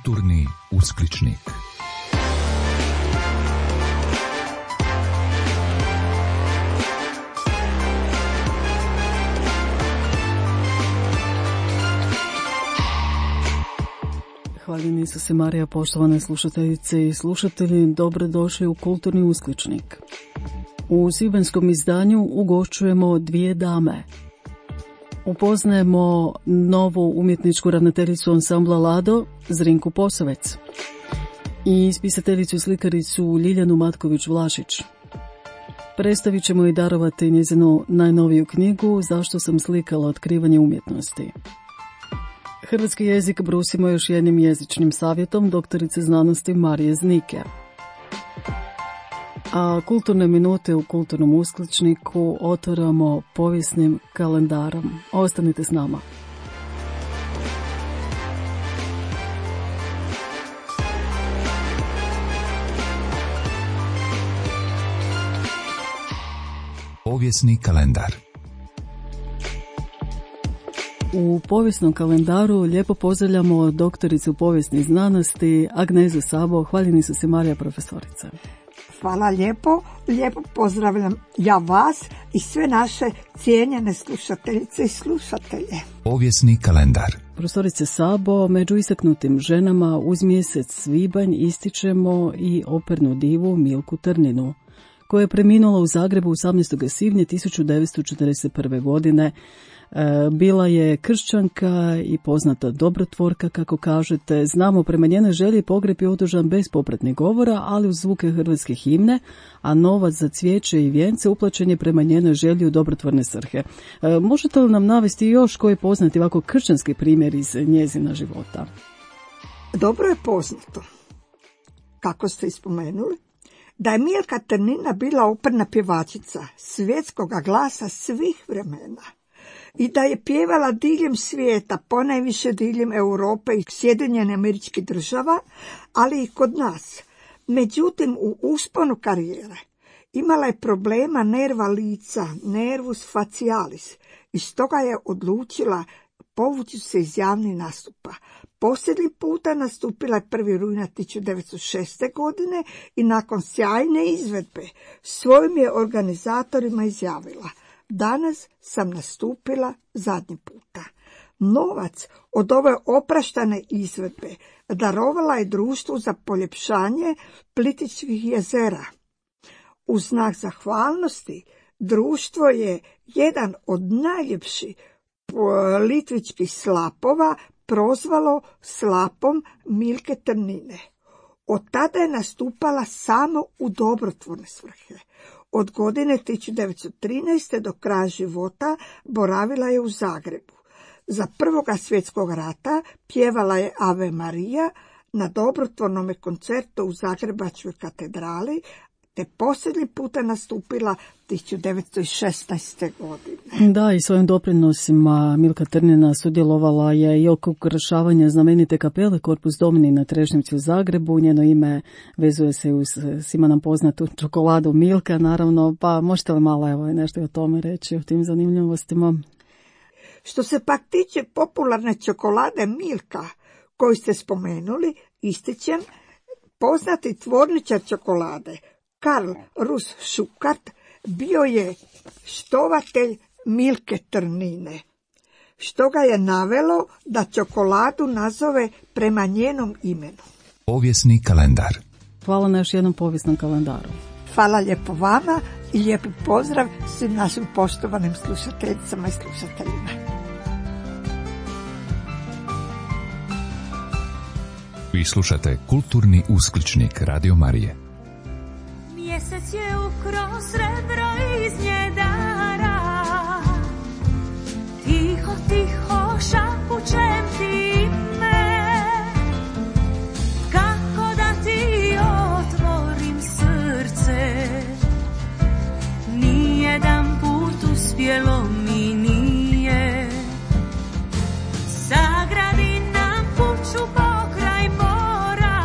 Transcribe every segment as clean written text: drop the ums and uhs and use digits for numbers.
Kulturni uskličnik. Hvaljeni Isuse Marija, poštovane slušateljice i slušatelji, dobrodošli u Kulturni uskličnik. U svibanjskom izdanju ugošćujemo dvije dame. Upoznajemo novu umjetničku ravnateljicu ansambla Lado, Zrinku Posavec, i spisateljicu i slikaricu Ljiljanu Matković-Vlašić. Predstavit ćemo i darovati njezinu najnoviju knjigu Zašto sam slikala, otkrivanje umjetnosti. Hrvatski jezik brusimo još jednim jezičnim savjetom doktorice znanosti Marije Znike. A kulturne minute u Kulturnom uskličniku otvaramo povijesnim kalendarom. Ostanite s nama. Povijesni kalendar. U povijesnom kalendaru lijepo pozdravljamo doktoricu povijesnih znanosti Agnezu Sabo. Hvaljeni Isuse Marija, profesorice. Hvala lijepo. Lijepo pozdravljam ja vas i sve naše cijenjene slušateljice i slušatelje. Povijesni kalendar. Profesorice Sabo, među istaknutim ženama uz mjesec svibanj ističemo i opernu divu Milku Trninu, koja je preminula u Zagrebu 18. svibnja 1941. godine. Bila je kršćanka i poznata dobrotvorka, kako kažete. Znamo, prema njenoj želji pogreb je održan bez popratnih govora, ali uz zvuke hrvatske himne, a novac za cvijeće i vijence uplaćen je prema njenoj želji u dobrotvorne svrhe. Možete li nam navesti još koji poznati ovako kršćanski primjer iz njezina života? Dobro je poznato, kako ste ispomenuli, da je Milka Trnina bila operna pjevačica svjetskoga glasa svih vremena i da je pjevala diljem svijeta, ponajviše diljem Europe i Sjedinjenih Američkih Država, ali i kod nas. Međutim, u usponu karijere imala je problema nerva lica, nervus facialis, i stoga je odlučila povući se iz javnih nastupa. Posljednji puta nastupila je 1. rujna 1906. godine i nakon sjajne izvedbe svojim je organizatorima izjavila: danas sam nastupila zadnji puta. Novac od ove opraštane izvedbe darovala je društvu za poljepšanje Plitvičkih jezera. U znak zahvalnosti društvo je jedan od najljepših plitvičkih slapova prozvalo slapom Milke Trnine. Od tada je nastupala samo u dobrotvorne svrhe. Od godine 1913. do kraja života boravila je u Zagrebu. Za Prvog svjetskog rata pjevala je Ave Marija na dobrotvornom koncertu u Zagrebačkoj katedrali, te posljednji puta nastupila 1916. godine. Da, i svojim doprinosima Milka Trnina sudjelovala je i oko ukrašavanja znamenite kapele Corpus Domini na Trešnjevci u Zagrebu. Njeno ime vezuje se uz svima nam poznatu čokoladu Milka, naravno, pa možete li malo nešto o tome reći, o tim zanimljivostima? Što se pak tiče popularne čokolade Milka, koju ste spomenuli, ističem poznati tvorničar čokolade Karl Rus Šukart bio je štovatelj Milke Trnine, što ga je navelo da čokoladu nazove prema njenom imenu. Povijesni kalendar. Hvala na još jednom povijesnom kalendaru. Hvala lijepo vama i lijepi pozdrav svim našim poštovanim slušateljicama i slušateljima. Vi slušate Kulturni uskličnik Radio Marije. Mjesec je ukro srebro iz njedara, tiho, tiho šapućem ti me, kako da ti otvorim srce, nijedan put uspjelo mi nije, sagradi nam kuću pokraj mora,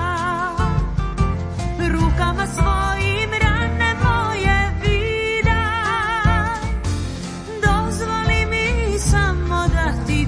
rukama svojim rane moje vidaj, dozvoli mi samo da ti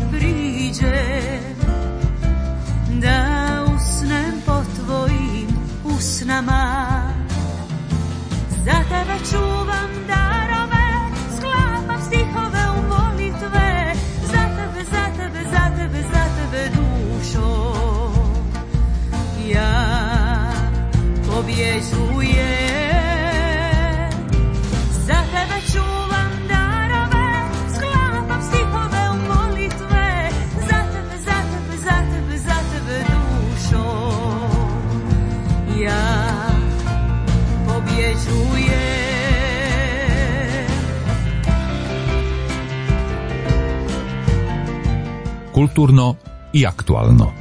Kulturno i aktualno.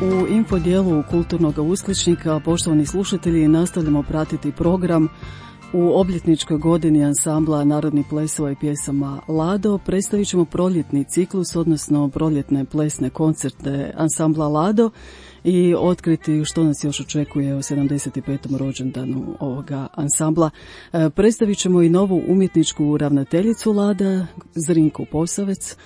U info dijelu Kulturnog uskličnika, poštovani slušatelji, nastavljamo pratiti program. U obljetničkoj godini ansambla Narodnih plesova i pjesama Lado predstavit ćemo proljetni ciklus, odnosno proljetne plesne koncerte ansambla Lado i otkriti što nas još očekuje o 75. rođendanu ovoga ansambla. Predstavit ćemo i novu umjetničku ravnateljicu Lada, Zrinku Posavec,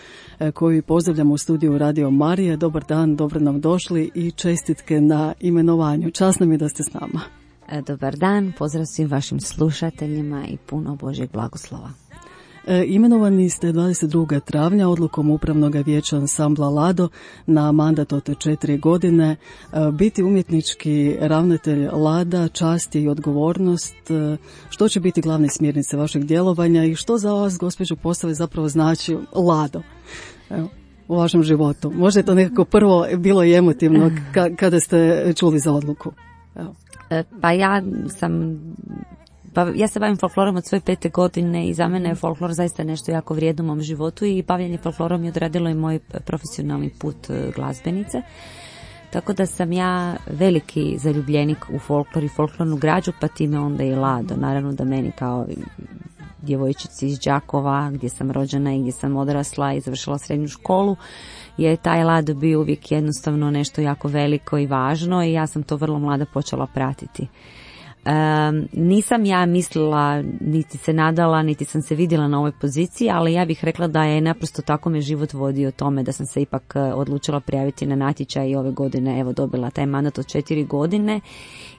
koju pozdravljamo u studiju Radio Marija. Dobar dan, dobro nam došli i čestitke na imenovanju. Čast nam je da ste s nama. Dobar dan, pozdrav svim vašim slušateljima i puno Božjeg blagoslova. Imenovani ste 22. travnja odlukom Upravnog vijeća ansambla Lado na mandat od 4 godine. Biti umjetnički ravnatelj Lada, čast je i odgovornost. Što će biti glavne smjernice vašeg djelovanja i što za vas, gospođo Posavec, zapravo znači Lado? Evo, u vašem životu. Možda je to nekako prvo bilo i emotivno kada ste čuli za odluku. Evo. Ja se bavim folklorom od svoje 5. godine i za mene je folklor zaista nešto jako vrijedno u mom životu i bavljenje folklorom je odradilo i moj profesionalni put glazbenice. Tako da sam ja veliki zaljubljenik u folklor i folklornu građu, pa time onda i Lado. Naravno da meni kao djevojčici iz Đakova, gdje sam rođena i gdje sam odrasla i završila srednju školu, je taj Lado bio uvijek jednostavno nešto jako veliko i važno i ja sam to vrlo mlada počela pratiti. Nisam ja mislila, niti se nadala, niti sam se vidjela na ovoj poziciji, ali ja bih rekla da je naprosto tako me život vodio tome da sam se ipak odlučila prijaviti na natječaj i ove godine evo dobila taj mandat od 4 godine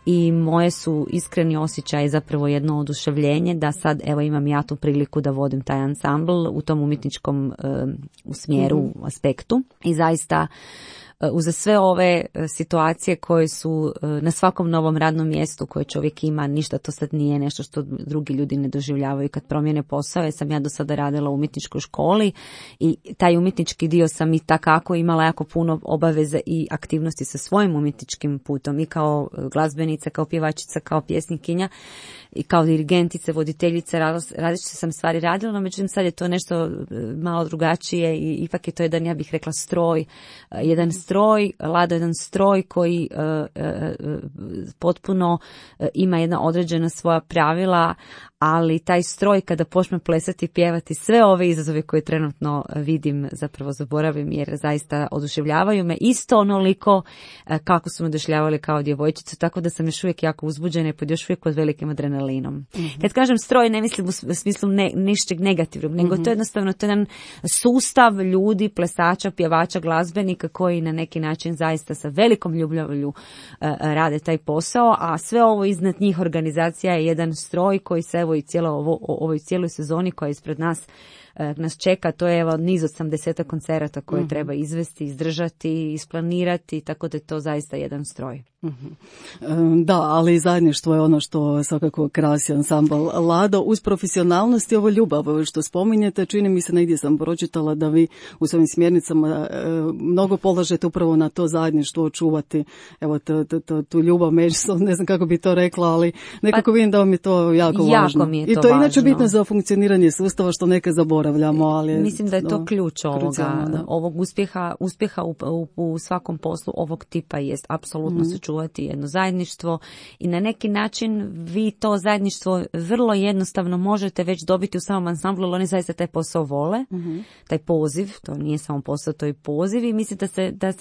i moje su iskreni osjećaji zapravo jedno oduševljenje da sad evo imam ja tu priliku da vodim taj ansambl u tom umjetničkom smjeru, aspektu i zaista uz sve ove situacije koje su na svakom novom radnom mjestu koje čovjek ima, ništa to sad nije nešto što drugi ljudi ne doživljavaju kad promijene posao, jer sam ja do sada radila u umjetničkoj školi i taj umjetnički dio sam i takako imala jako puno obaveze i aktivnosti sa svojim umjetničkim putom i kao glazbenica, kao pjevačica, kao pjesnikinja i kao dirigentica, voditeljica, različite sam stvari radila, no međutim sad je to nešto malo drugačije i ipak je to jedan, ja bih rekla, jedan stroj, Lado jedan stroj koji potpuno ima jedna određena svoja pravila, ali taj stroj kada počne plesati i pjevati, sve ove izazove koje trenutno vidim zapravo zaboravim jer zaista oduševljavaju me isto onoliko kako su me oduševljavali kao djevojčicu, tako da sam još uvijek jako uzbuđena i pod još uvijek pod velikim adrenalinom. Mm-hmm. Kad kažem stroj ne mislim u smislu nišćeg negativnog, nego to je jednostavno to je jedan sustav ljudi, plesača, pjevača, glazbenika koji na neki način zaista sa velikom ljubavlju rade taj posao, a sve ovo iznad njih organizacija je jedan stroj koji se evo i ovoj cijeloj sezoni koja je ispred nas čeka, to je evo niz od 80 koncerata koje treba izvesti, izdržati, isplanirati, tako da je to zaista jedan stroj. Da, ali zajedništvo je ono što svakako krasi ansambl Lado. Uz profesionalnost i ovo ljubav što spominjete, čini mi se, negdje sam pročitala da vi u svojim smjernicama mnogo polažete upravo na to zajedništvo, čuvati evo tu ljubav međusobno, ne znam kako bi to rekla, ali nekako vidim da vam je to jako važno. Mi je to i to je inače bitno za funkcioniranje sustava što neka zaboravljamo. Ali mislim da je to ključ ovog uspjeha u svakom poslu ovog tipa jest apsolutno sačuvati jedno zajedništvo i na neki način vi to zajedništvo vrlo jednostavno možete već dobiti u samom ansamblu, ali oni zaista taj posao vole, taj poziv, to nije samo posao, to je poziv i mislim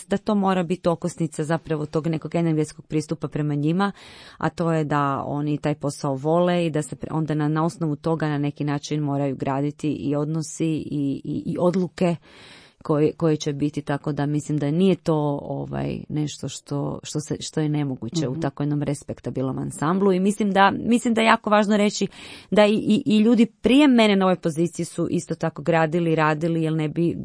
da to mora biti okosnica zapravo tog nekog energetskog pristupa prema njima, a to je da oni taj posao vole i da se onda na osnovu toga na neki način moraju graditi i odnosi i odluke koje će biti, tako da mislim da nije to nešto što je nemoguće u tako jednom respektabilnom ansamblu i mislim da je jako važno reći da i ljudi prije mene na ovoj poziciji su isto tako radili jer ne bi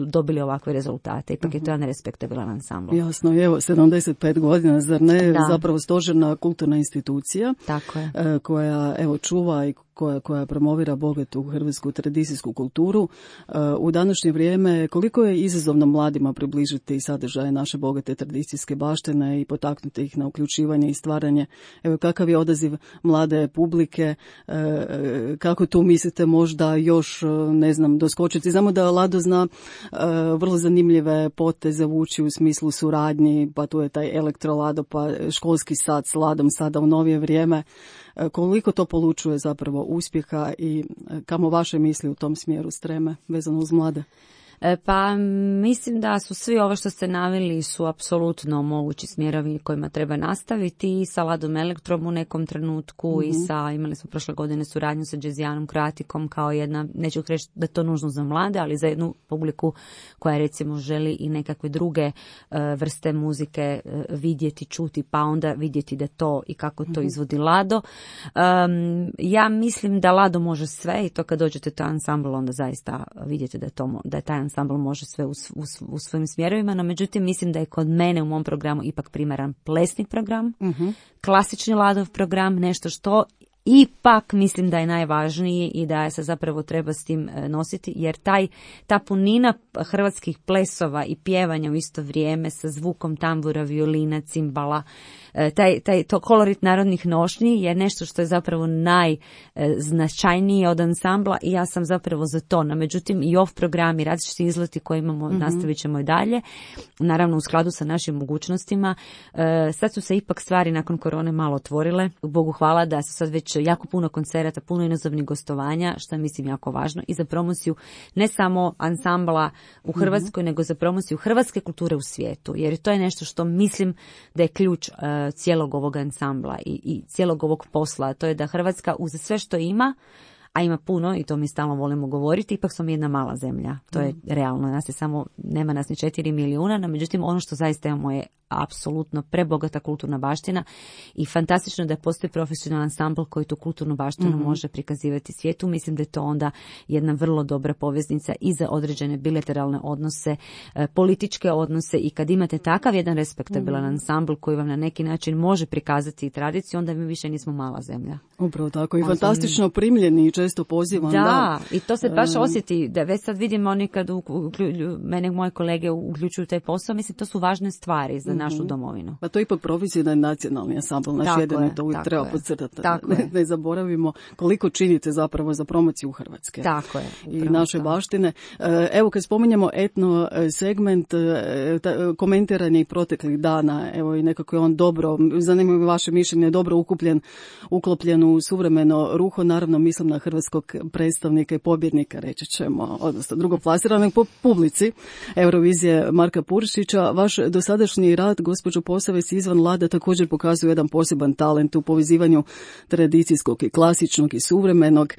dobili ovakve rezultate. Ipak je to jedan respektabilan ansambl. Jasno, evo 75 godina, zar ne, zapravo stožerna kulturna institucija. Tako je. Koja evo čuva i koja promovira bogatu hrvatsku tradicijsku kulturu. U današnje vrijeme koliko je izazovno mladima približiti sadržaje naše bogate tradicijske baštine i potaknuti ih na uključivanje i stvaranje. Evo, kakav je odaziv mlade publike, kako tu mislite možda još, ne znam, doskočiti? Znamo da Lado zna vrlo zanimljive poteze vući u smislu suradnji, pa tu je taj elektrolado, pa školski sat s Ladom sada u novije vrijeme. Koliko to polučuje zapravo uspjeha i kamo vaše misli u tom smjeru streme vezano uz mlade? Pa mislim da su svi ovo što ste naveli su apsolutno mogući smjerovi kojima treba nastaviti i sa Ladom Elektrom u nekom trenutku i imali smo prošle godine suradnju sa Džezijanom Kroatikom kao jedna, neću reći da je to nužno za mlade, ali za jednu publiku koja recimo želi i nekakve druge vrste muzike vidjeti, čuti, pa onda vidjeti da to i kako to izvodi Lado. Ja mislim da Lado može sve i to kad dođete u taj ansambl onda zaista vidite da je taj ansambl može sve u svojim smjerovima, no međutim mislim da je kod mene u mom programu ipak primaran plesni program, klasični Ladov program, nešto što ipak mislim da je najvažniji i da se zapravo treba s tim nositi, jer ta punina hrvatskih plesova i pjevanja u isto vrijeme sa zvukom tambura, violina, cimbala, to kolorit narodnih nošnji je nešto što je zapravo najznačajnije od ansambla i ja sam zapravo za to. No, međutim i off programi, različiti izleti koje imamo, nastavit ćemo i dalje, naravno u skladu sa našim mogućnostima. Sad su se ipak stvari nakon korone malo otvorile. Bogu hvala da su sad već jako puno koncerata, puno inozemnih gostovanja, što je mislim jako važno i za promociju ne samo ansambla u Hrvatskoj, nego za promociju hrvatske kulture u svijetu, jer to je nešto što mislim da je ključ cijelog ovog ansambla i cijelog ovog posla. To je da Hrvatska uz sve što ima, a ima puno i to mi stalno volimo govoriti, ipak smo mi jedna mala zemlja. To je realno. Nas je samo, nema nas ni 4 milijuna, no međutim ono što zaista imamo je apsolutno prebogata kulturna baština i fantastično da postoji profesionalan ansambl koji tu kulturnu baštinu može prikazivati svijetu. Mislim da je to onda jedna vrlo dobra poveznica i za određene bilateralne odnose, političke odnose i kad imate takav jedan respektabilan ansambl koji vam na neki način može prikazati tradiciju, onda mi više nismo mala zemlja. Upravo tako i fantastično primljeni i često pozivan. Da, i to se baš osjeti, da već sad vidim oni kad mene moje kolege uključuju taj posao, mislim to su važne stvari za našu domovinu. Pa to je ipak profesionalni nacionalni ansambl, naš jedan je to uvijek treba podcrtati. Ne zaboravimo koliko činite zapravo za promociju Hrvatske. Tako je. I naše baštine. Evo kad spominjemo etno segment, komentiranje i proteklih dana, evo i nekako je on dobro, zanima me vaše mišljenje, dobro uklopljen u suvremeno ruho, naravno mislim na hrvatskog predstavnika i pobjednika, reći ćemo, odnosno drugoplasiranog po publici Eurovizije Marka Purišića. Vaš dosadašnji rad, gospođo Posavec, izvan Lada također pokazuje jedan poseban talent u povezivanju tradicijskog i klasičnog i suvremenog.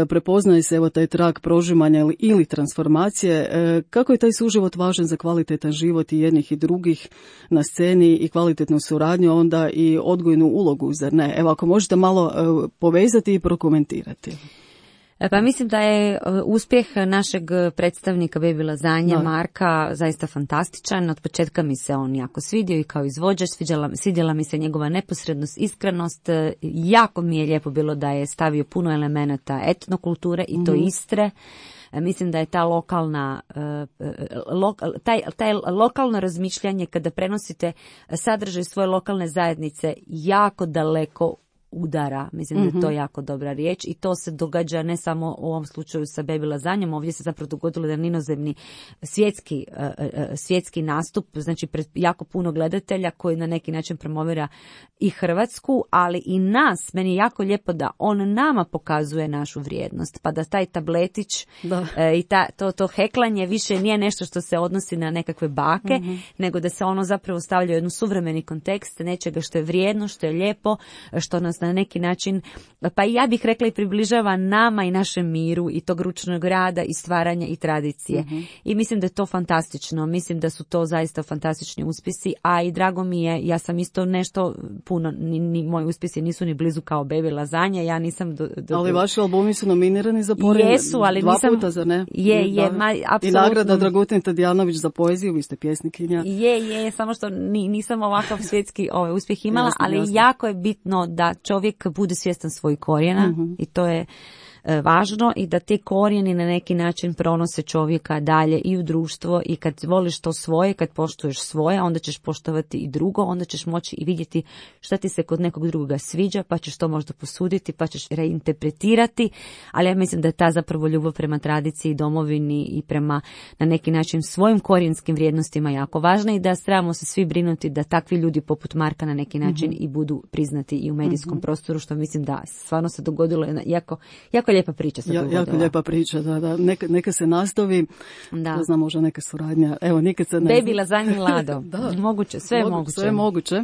Prepoznaje se evo taj trag prožimanja ili transformacije. Kako je taj suživot važan za kvalitetan život i jednih i drugih na sceni i kvalitetnu suradnju, onda i odgojnu ulogu, zar ne? Evo ako možete malo povezati i prokomentirati. Pa mislim da je uspjeh našeg predstavnika Baby Lazanja, Marka, zaista fantastičan. Od početka mi se on jako svidio i kao izvođač, svidjela mi se njegova neposrednost, iskrenost. Jako mi je lijepo bilo da je stavio puno elemenata etnokulture i to Istre. Mislim da je ta taj lokalno razmišljanje kada prenosite sadržaj svoje lokalne zajednice jako daleko udara. Mislim da je to jako dobra riječ i to se događa ne samo u ovom slučaju sa Baby Lazanjom, ovdje se zapravo dogodilo jedan inozemni svjetski nastup, znači pred jako puno gledatelja koji na neki način promovira i Hrvatsku, ali i nas. Meni je jako lijepo da on nama pokazuje našu vrijednost, pa da taj tabletić i to heklanje više nije nešto što se odnosi na nekakve bake, nego da se ono zapravo stavlja u jednu suvremeni kontekst nečega što je vrijedno, što je lijepo, što nas na neki način, pa i ja bih rekla i približava nama i našem miru i tog ručnog rada i stvaranja i tradicije. I mislim da je to fantastično. Mislim da su to zaista fantastični uspjesi, a i drago mi je, ja sam isto nešto puno, ni moji uspjesi nisu ni blizu kao Baby Lazanja, ja nisam ali vaši albumi su nominirani za pored jesu, ali dva nisam, puta, za ne? Apsolutno. I nagrada Dragutin Tadijanović za poeziju, vi ste pjesnikinja. Samo što nisam ovakav svjetski uspjeh imala, ali jako je bitno da čovjek čovjek bude svjestan svojih korijena i to je važno i da te korijeni na neki način pronose čovjeka dalje i u društvo i kad voliš to svoje, kad poštuješ svoje, onda ćeš poštovati i drugo, onda ćeš moći i vidjeti šta ti se kod nekog drugoga sviđa, pa ćeš to možda posuditi, pa ćeš reinterpretirati, ali ja mislim da je ta zapravo ljubav prema tradiciji, domovini i prema na neki način svojim korijenskim vrijednostima jako važna i da trebamo se svi brinuti da takvi ljudi poput Marka na neki način i budu priznati i u medijskom prostoru, što mislim da stvarno se dogodilo jako lijepa priča se dogodila. Jako lijepa priča, da. Neka se nastavi, da znam, možda neka suradnja. Evo, nikad se ne Baby Lazanje Lado. Moguće, sve je moguće. Sve je moguće,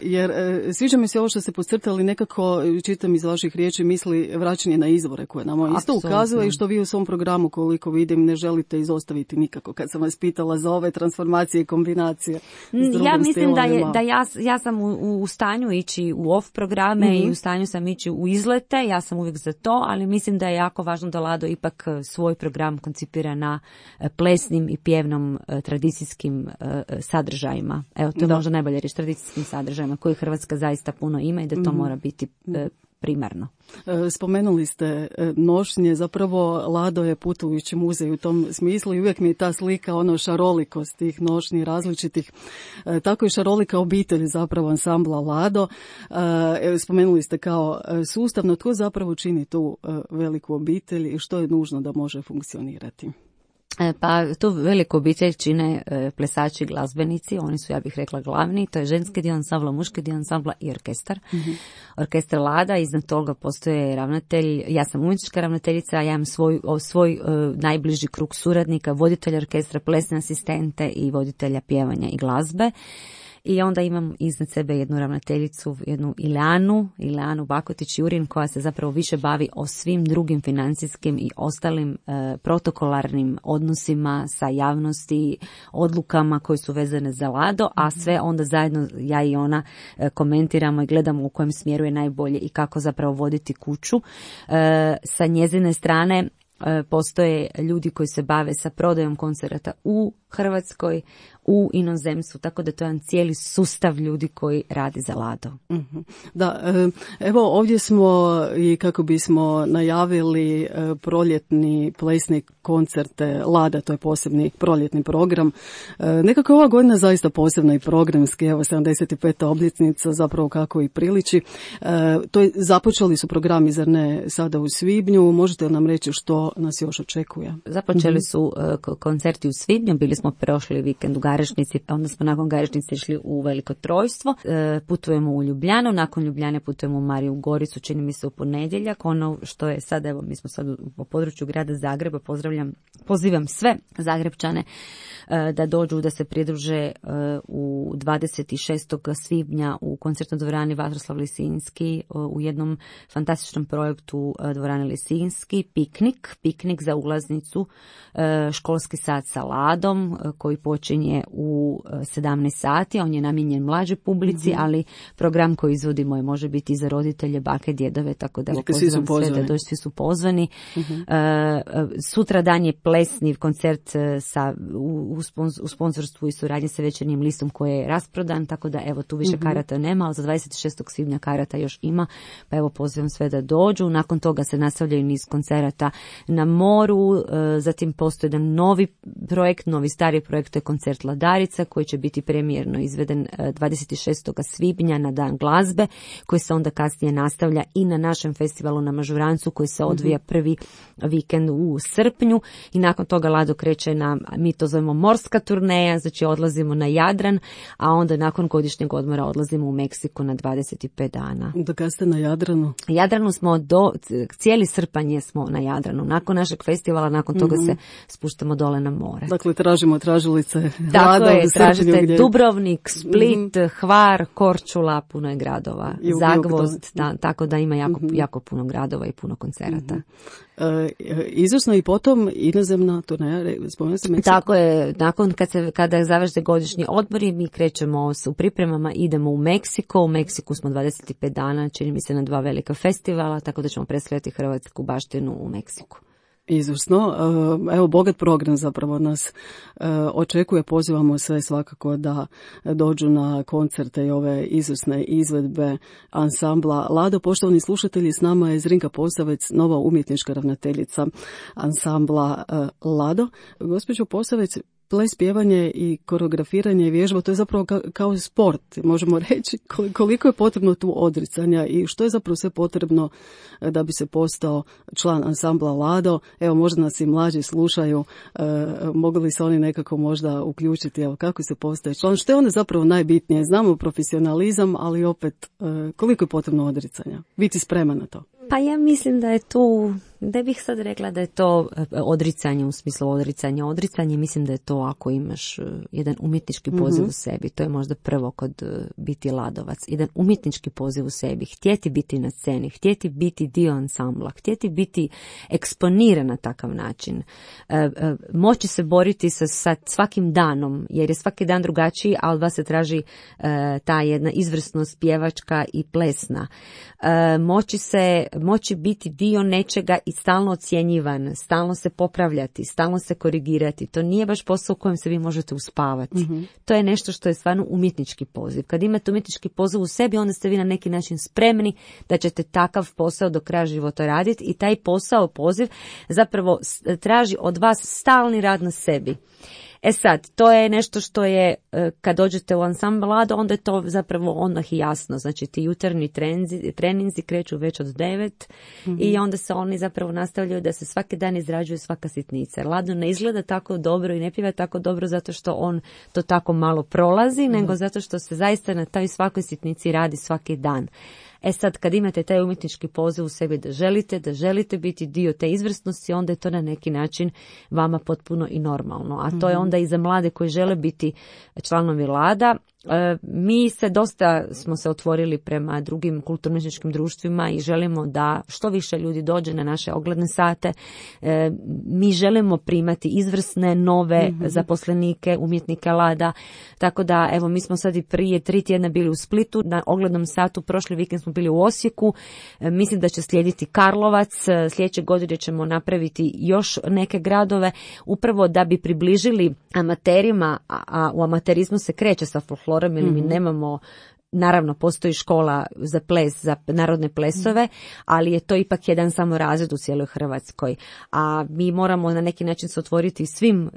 jer sviđa mi se ovo što ste podcrtali, nekako čitam iz vaših riječi misli vraćanje na izvore koje nam isto ukazuje i što vi u svom programu, koliko vidim, ne želite izostaviti nikako. Kad sam vas pitala za ove transformacije i kombinacije s drugim ja mislim stilovima. da ja sam u stanju ići u off programe i u stanju sam ići u izlete, ja sam uvijek za to, ali mislim da je jako važno da Lado ipak svoj program koncipira na plesnim i pjevnom tradicijskim sadržajima. Evo, to je možda najbolje riječ, tradicijskim sadržajima koji Hrvatska zaista puno ima i da to mora biti primarno. Spomenuli ste nošnje, zapravo Lado je putujući muzej u tom smislu i uvijek mi je ta slika šarolikost tih nošnji različitih, tako i šarolika obitelj zapravo ansambla Lado. Spomenuli ste kao sustavno, tko zapravo čini tu veliku obitelj i što je nužno da može funkcionirati? Pa tu veliku obitelj čine plesači i glazbenici, oni su, ja bih rekla, glavni, to je ženski dio ansambla, muški dio ansambla i orkestar. Orkestar Lada, iznad toga postoje ravnatelj, ja sam umjetnička ravnateljica, ja imam svoj najbliži krug suradnika, voditelja orkestra, plesne asistente i voditelja pjevanja i glazbe. I onda imam iznad sebe jednu ravnateljicu, jednu Ileanu Bakotić-Jurin, koja se zapravo više bavi o svim drugim financijskim i ostalim protokolarnim odnosima sa javnosti, odlukama koje su vezane za Lado, a sve onda zajedno ja i ona komentiramo i gledamo u kojem smjeru je najbolje i kako zapravo voditi kuću. Sa njezine strane postoje ljudi koji se bave sa prodajom koncerata u Hrvatskoj, u inozemstvu, tako da to je jedan cijeli sustav ljudi koji radi za Lado. Da, evo ovdje smo i kako bismo najavili proljetni plesni koncerte Lada, to je posebni proljetni program. Nekako ova godina zaista posebna i programski, evo 75. obljetnica, zapravo kako i priliči. Započeli su programi, zar ne, sada u svibnju, možete li nam reći što nas još očekuje? Započeli su koncerti u svibnju, bili smo prošli vikend u Garešnici, onda smo nakon Garešnice išli u Veliko Trojstvo, putujemo u Ljubljanu, nakon Ljubljane putujemo u Mariju Goricu, čini mi se u ponedjeljak, ono što je sad, evo mi smo sad u području grada Zagreba, pozivam sve Zagrebčane da dođu, da se pridruže u 26. svibnja u koncertnoj dvorani Vatroslav Lisinski u jednom fantastičnom projektu dvorane Lisinski, piknik za ulaznicu, školski sat sa Ladom koji počinje u 17 sati, on je namijenjen mlađoj publici, ali program koji izvodimo može biti i za roditelje, bake, djedove, tako da pozivam sve da dođu, svi su pozvani. Sutra dan je plesni koncert u sponzorstvu i suradnji sa Večernjim listom koji je rasprodan, tako da evo tu više karata nema, ali za 26. svibnja karata još ima, pa evo pozivam sve da dođu. Nakon toga se nastavljaju niz koncerata na moru, zatim postoji jedan novi projekt, novi stari projekt, to je koncert Ladarica koji će biti premijerno izveden 26. svibnja na Dan glazbe, koji se onda kasnije nastavlja i na našem festivalu na Mažurancu koji se odvija prvi vikend u srpnju i nakon toga Lado kreće na, mi to zovemo morska turneja, znači odlazimo na Jadran, a onda nakon godišnjeg odmora odlazimo u Meksiku na 25 dana. Do kada ste na Jadranu? Jadranu smo cijeli srpanj smo na Jadranu. Nakon našeg festivala, nakon toga se spuštamo dole na more. Dakle, tražimo tražilice. Tako je, tražite gdje... Dubrovnik, Split, Hvar, Korčula, puno je gradova. Zagvozd, tako da ima jako puno gradova i puno koncerata. Izvrsno i potom inozemna turneja, spomenuo sam Meksiko. Tako je, kada završe godišnji odmori, mi krećemo u pripremama, idemo u Meksiko. U Meksiku smo 25 dana, čini mi se, na 2 velika festivala, tako da ćemo predstavljati hrvatsku baštinu u Meksiku. Izvrsno. Evo, bogat program zapravo nas očekuje. Pozivamo sve svakako da dođu na koncerte i ove izvrsne izvedbe ansambla Lado. Poštovani slušatelji, s nama je Zrinka Posavec, nova umjetnička ravnateljica ansambla Lado. Gospođo Posavec, ples, pjevanje i koreografiranje i vježba, to je zapravo kao sport, možemo reći. Koliko je potrebno tu odricanja i što je zapravo sve potrebno da bi se postao član ansambla Lado? Evo, možda nas i mlađi slušaju, mogu li se oni nekako možda uključiti, evo, kako se postaje član? Što je onda zapravo najbitnije? Znamo profesionalizam, ali opet koliko je potrebno odricanja? Biti spreman na to? Pa ja mislim da je tu, da bih sad rekla da je to odricanje u smislu odricanja. Odricanje mislim da je to ako imaš jedan umjetnički poziv u sebi. To je možda prvo kod biti ladovac. Jedan umjetnički poziv u sebi. Htjeti biti na sceni, htjeti biti dio ansambla, htjeti biti eksponiran na takav način. Moći se boriti sa svakim danom, jer je svaki dan drugačiji, a od vas se traži ta jedna izvrsnost pjevačka i plesna. Moći biti dio nečega i stalno ocjenjivan, stalno se popravljati, stalno se korigirati. To nije baš posao u kojem se vi možete uspavati. To je nešto što je stvarno umjetnički poziv. Kad imate umjetnički poziv u sebi, onda ste vi na neki način spremni da ćete takav posao do kraja života raditi i taj posao, poziv, zapravo traži od vas stalni rad na sebi. E sad, to je nešto što je, kad dođete u ansambl Lado, onda je to zapravo odmah i jasno. Znači, ti jutarnji treninzi kreću već od 9 i onda se oni zapravo nastavljaju da se svaki dan izrađuje svaka sitnica. Lado ne izgleda tako dobro i ne pjeva tako dobro zato što on to tako malo prolazi, nego zato što se zaista na toj svakoj sitnici radi svaki dan. E sad, kad imate taj umjetnički poziv u sebi da želite biti dio te izvrsnosti, onda je to na neki način vama potpuno i normalno. A to je onda i za mlade koji žele biti članovi Lada. Mi smo se otvorili prema drugim kulturno-umjetničkim društvima i želimo da što više ljudi dođe na naše ogledne sate. Mi želimo primati izvrsne, nove zaposlenike, umjetnike Lada. Tako da, evo, mi smo sad i prije 3 tjedna bili u Splitu na oglednom satu, prošli vikend smo bili u Osijeku. Mislim da će slijediti Karlovac. Sljedeće godine ćemo napraviti još neke gradove, upravo da bi približili amaterima, a u amaterizmu se kreće sa folklorom, ili mi nemamo, naravno postoji škola za ples, za narodne plesove, ali je to ipak jedan samo razred u cijeloj Hrvatskoj. A mi moramo na neki način se otvoriti svim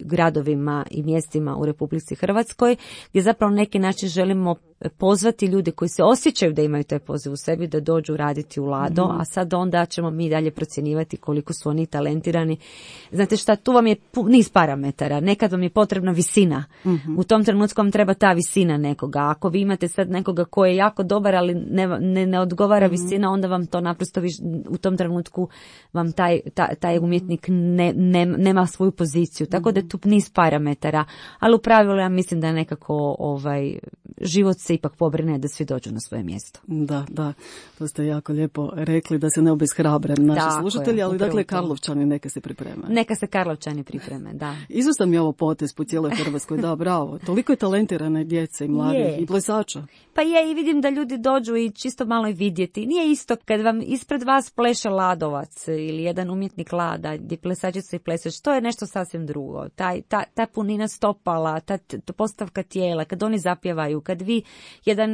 gradovima i mjestima u Republici Hrvatskoj, gdje zapravo na neki način želimo pozvati ljude koji se osjećaju da imaju taj poziv u sebi da dođu raditi u Lado, a sad onda ćemo mi dalje procjenjivati koliko su oni talentirani. Znate šta, tu vam je niz parametara. Nekad vam je potrebna visina. U tom trenutku vam treba ta visina nekoga. Ako vi imate sad nekoga koji je jako dobar, ali ne odgovara visina, onda vam to naprosto u tom trenutku vam taj umjetnik nema svoju poziciju. Tako da je tu niz parametara. Ali u pravilu ja mislim da nekako život se ipak pobrine da svi dođu na svoje mjesto. Da, to ste jako lijepo rekli, da se ne obeshrabre naši slušatelji, ali dakle Karlovčani neka se pripreme. Neka se Karlovčani pripreme, da. Izvrstan je ovo potez po cijeloj Hrvatskoj, da, bravo. Toliko je talentirane djece i mladih i plesača. Pa je, i vidim da ljudi dođu i čisto malo i vidjeti. Nije isto kad vam ispred vas pleše Ladovac ili jedan umjetnik Lada, gdje plesačica i plesač, to je nešto sasvim drugo. Ta punina stopala, ta postavka tijela, kad oni zapjevaju, kad vi,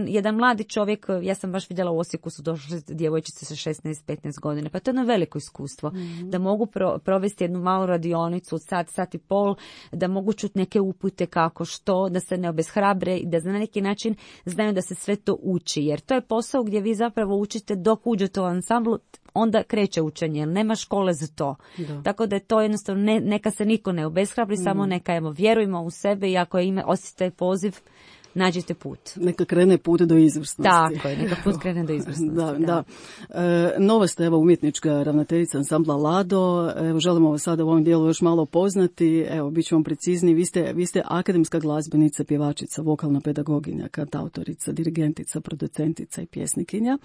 jedan mladi čovjek, ja sam baš vidjela u Osijeku su došle djevojčice sa 16-15 godina, pa to je jedno veliko iskustvo. Da mogu provesti jednu malu radionicu od sat i pol, da mogu čuti neke upute kako što, da se ne obeshrabre i da na neki način znaju da se sve to uči, jer to je posao gdje vi zapravo učite dok uđete u ansamblu, onda kreće učenje, jer nema škole za to. Da. Tako da je to jednostavno, neka se niko ne obeshrabri, samo neka vjerujemo u sebe i ako osjetite poziv, nađite put. Neka krene put do izvrsnosti. Tako je, neka put krene do izvrsnosti. Da. Nova ste, evo, umjetnička ravnateljica ansambla Lado. Evo, želimo vas sada u ovom dijelu još malo poznati. Evo, bit ću vam precizni. Vi ste akademska glazbenica, pjevačica, vokalna pedagoginja, kantautorica, dirigentica, producentica i pjesnikinja.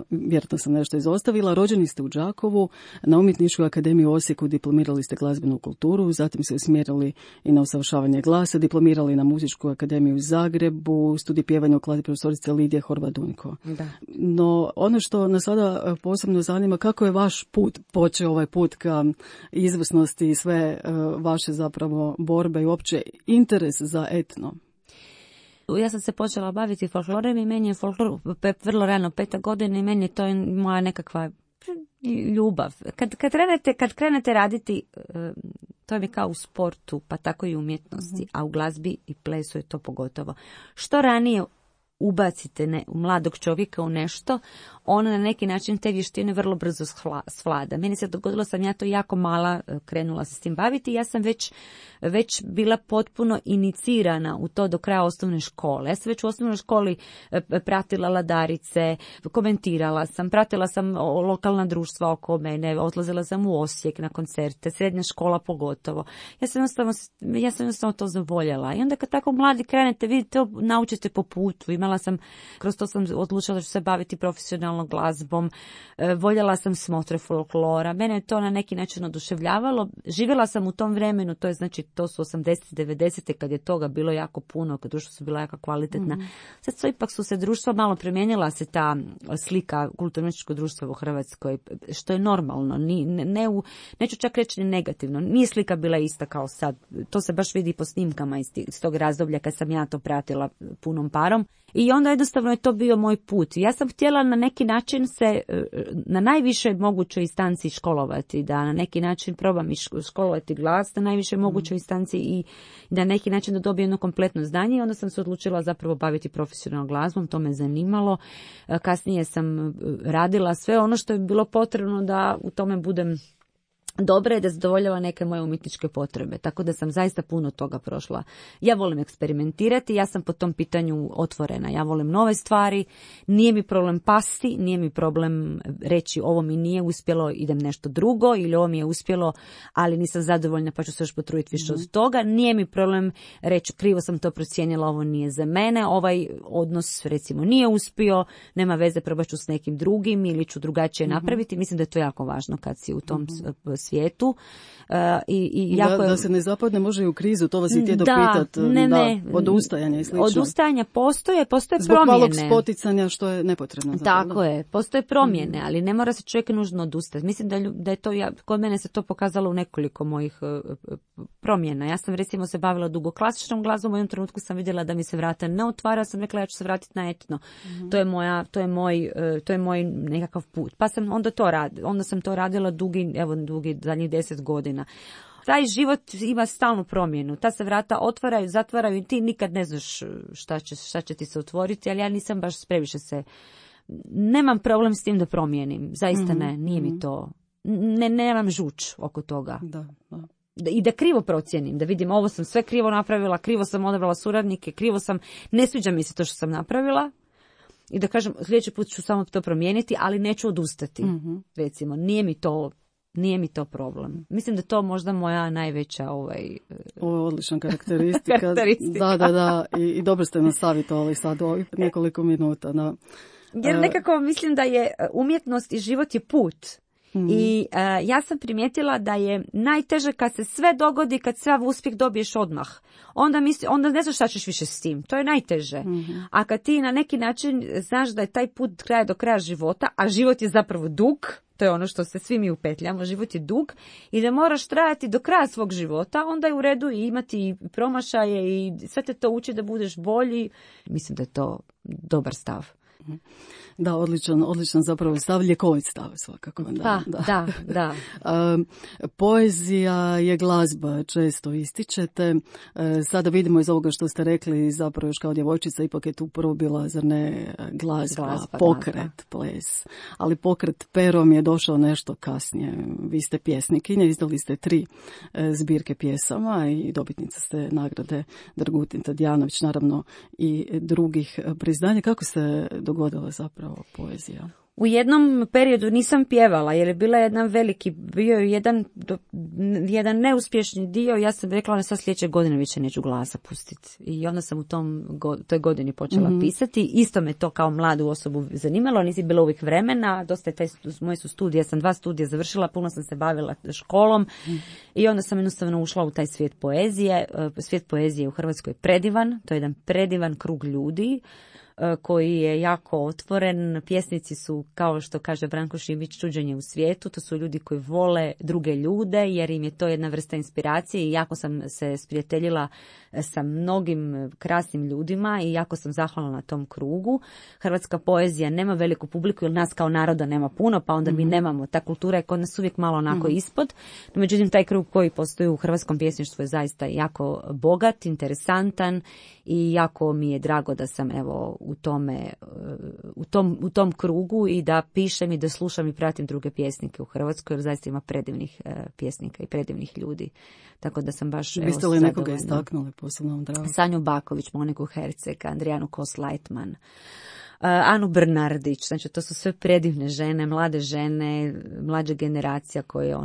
Vjerojatno sam nešto izostavila. Rođeni ste u Đakovu, na Umjetničkoj akademiji u Osijeku diplomirali ste glazbenu kulturu, zatim se usmjerili i na usavršavanje glasa, diplomirali na Muzičku akademiju u Zagrebu studij pjevanja u kladi profesorice Lidije Horvat-Dunjko. Da. No, ono što nas sada posebno zanima, kako je vaš put počeo, ovaj put ka izvrsnosti i sve vaše zapravo borbe i uopće interes za etno? Ja sam se počela baviti folklorem i meni je folklor vrlo rano, 5. godina, i meni je to moja nekakva ljubav. Kad krenete raditi, to je kao u sportu, pa tako i u umjetnosti, a u glazbi i plesu je to pogotovo. Što ranije ubacite u mladog čovjeka u nešto, on na neki način te vještine vrlo brzo svlada. Meni se dogodilo, sam ja to jako mala krenula se s tim baviti, ja sam već bila potpuno inicirana u to do kraja osnovne škole. Ja sam već u osnovnoj školi pratila ladarice, komentirala sam, pratila sam lokalna društva oko mene, odlazila sam u Osijek na koncerte, srednja škola pogotovo. Ja sam jednostavno to zavoljela. I onda kad tako mladi krenete, vidite, to naučite po putu. Kroz to sam odlučila da ću se baviti profesionalnom glazbom, voljela sam smotre folklora, mene je to na neki način oduševljavalo. Živjela sam u tom vremenu, to je znači, to su 80. 90. kad je toga bilo jako puno, kad društvo su bila jako kvalitetna. Sad ipak su se društva malo promijenila, se ta slika kulturno-umjetničkog društva u Hrvatskoj, što je normalno, neću čak reći ni negativno, nije slika bila ista kao sad, to se baš vidi po snimkama iz tog razdoblja kad sam ja to pratila punom parom. I onda jednostavno je to bio moj put. Ja sam htjela na neki način se na najvišoj mogućoj instanci školovati, da na neki način probam školovati glas na najvišoj mogućoj instanci i da na neki način da dobijem jedno kompletno znanje. I onda sam se odlučila zapravo baviti profesionalnom glazbom, to me zanimalo. Kasnije sam radila sve ono što je bilo potrebno da u tome budem dobra je, da zadovoljava neke moje umjetničke potrebe, tako da sam zaista puno toga prošla. Ja volim eksperimentirati, ja sam po tom pitanju otvorena, ja volim nove stvari, nije mi problem pasti, nije mi problem reći ovo mi nije uspjelo, idem nešto drugo, ili ovo mi je uspjelo, ali nisam zadovoljna pa ću se još potruditi više od toga, nije mi problem reći krivo sam to procijenila, ovo nije za mene, ovaj odnos recimo nije uspio, nema veze, probat ću s nekim drugim ili ću drugačije napraviti, mislim da je to jako važno kad si u tom svijetu. I jako da se ne zapadne može i u krizu, to vas i htjedo pitat. Odustajanja i slično. Odustajanja postoje zbog promjene. Zbog malog spoticanja što je nepotrebno. Tako je, postoje promjene, ali ne mora se čovjek nužno odustati. Mislim da je to, kod mene se to pokazalo u nekoliko mojih promjena. Ja sam recimo se bavila dugo klasičnom glazbom, u jednom trenutku sam vidjela da mi se vrata ne otvara, sam rekla ja ću se vratiti na etno. To je moj nekakav put. Pa sam onda sam to radila dugi zadnjih 10 godina. Taj život ima stalnu promjenu. Ta se vrata otvaraju, zatvaraju i ti nikad ne znaš šta će ti se otvoriti, ali ja nisam baš previše nemam problem s tim da promijenim. Zaista ne, nije mi to. Nemam žuč oko toga. Da. I da krivo procijenim, da vidim ovo sam sve krivo napravila, krivo sam odabrala suradnike, ne sviđa mi se to što sam napravila. I da kažem, sljedeći put ću samo to promijeniti, ali neću odustati. Recimo, nije mi to problem. Mislim da to možda moja najveća Ovo je odlična karakteristika. Da. I dobro ste nas savjetovali sad ovih nekoliko minuta. Da. Jer nekako mislim da je umjetnost i život je put. I ja sam primijetila da je najteže kad se sve dogodi, kad sav uspjeh dobiješ odmah. Onda ne znaš šta ćeš više s tim. To je najteže. A kad ti na neki način znaš da je taj put do kraja života, a život je zapravo dug, to je ono što se svi mi upetljamo, život je dug, i da moraš trajati do kraja svog života, onda je u redu i imati promašaje i sve te to uči da budeš bolji. Mislim da je to dobar stav. Da, odličan zapravo stav, ljekovit stav svakako. Da. Poezija je glazba, često ističete. Sada vidimo iz ovoga što ste rekli, zapravo još kao djevojčica, ipak je tu prvo bila, zar ne, glazba, pokret, ples. Ali pokret perom je došao nešto kasnije. Vi ste pjesnikinja, izdali ste 3 zbirke pjesama i dobitnica ste nagrade Dragutin Tadijanović, naravno i drugih priznanja. Kako se dogodila zapravo poezija? U jednom periodu nisam pjevala jer je bila bio je jedan neuspješni dio. Ja sam rekla da sad sljedeće godine više neću glasa pustiti. I onda sam u toj godini počela pisati. Isto me to kao mladu osobu zanimalo, nisi bilo uvijek vremena. Dosta je moje su studije, ja sam 2 studija završila, puno sam se bavila školom i onda sam jednostavno ušla u taj svijet poezije. Svijet poezije u Hrvatskoj je predivan, to je jedan predivan krug ljudi koji je jako otvoren. Pjesnici su, kao što kaže Branko Šibić, čuđenje u svijetu. To su ljudi koji vole druge ljude jer im je to jedna vrsta inspiracije i jako sam se sprijateljila sa mnogim krasnim ljudima i jako sam zahvalna na tom krugu. Hrvatska poezija nema veliku publiku jer nas kao naroda nema puno, pa onda mi nemamo. Ta kultura je kod nas uvijek malo onako ispod. No, međutim, taj krug koji postoji u hrvatskom pjesništvu je zaista jako bogat, interesantan i jako mi je drago da sam evo u tom krugu i da pišem i da slušam i pratim druge pjesnike u Hrvatskoj, jer zaista ima predivnih pjesnika i predivnih ljudi. Tako da sam baš... Biste li nekoga istaknuli posebno vam drago? Sanju Baković, Moniku Herceg, Andrijanu Kos-Lajtman, Anu Brnardić, znači to su sve predivne žene, mlade žene, mlađa generacija koje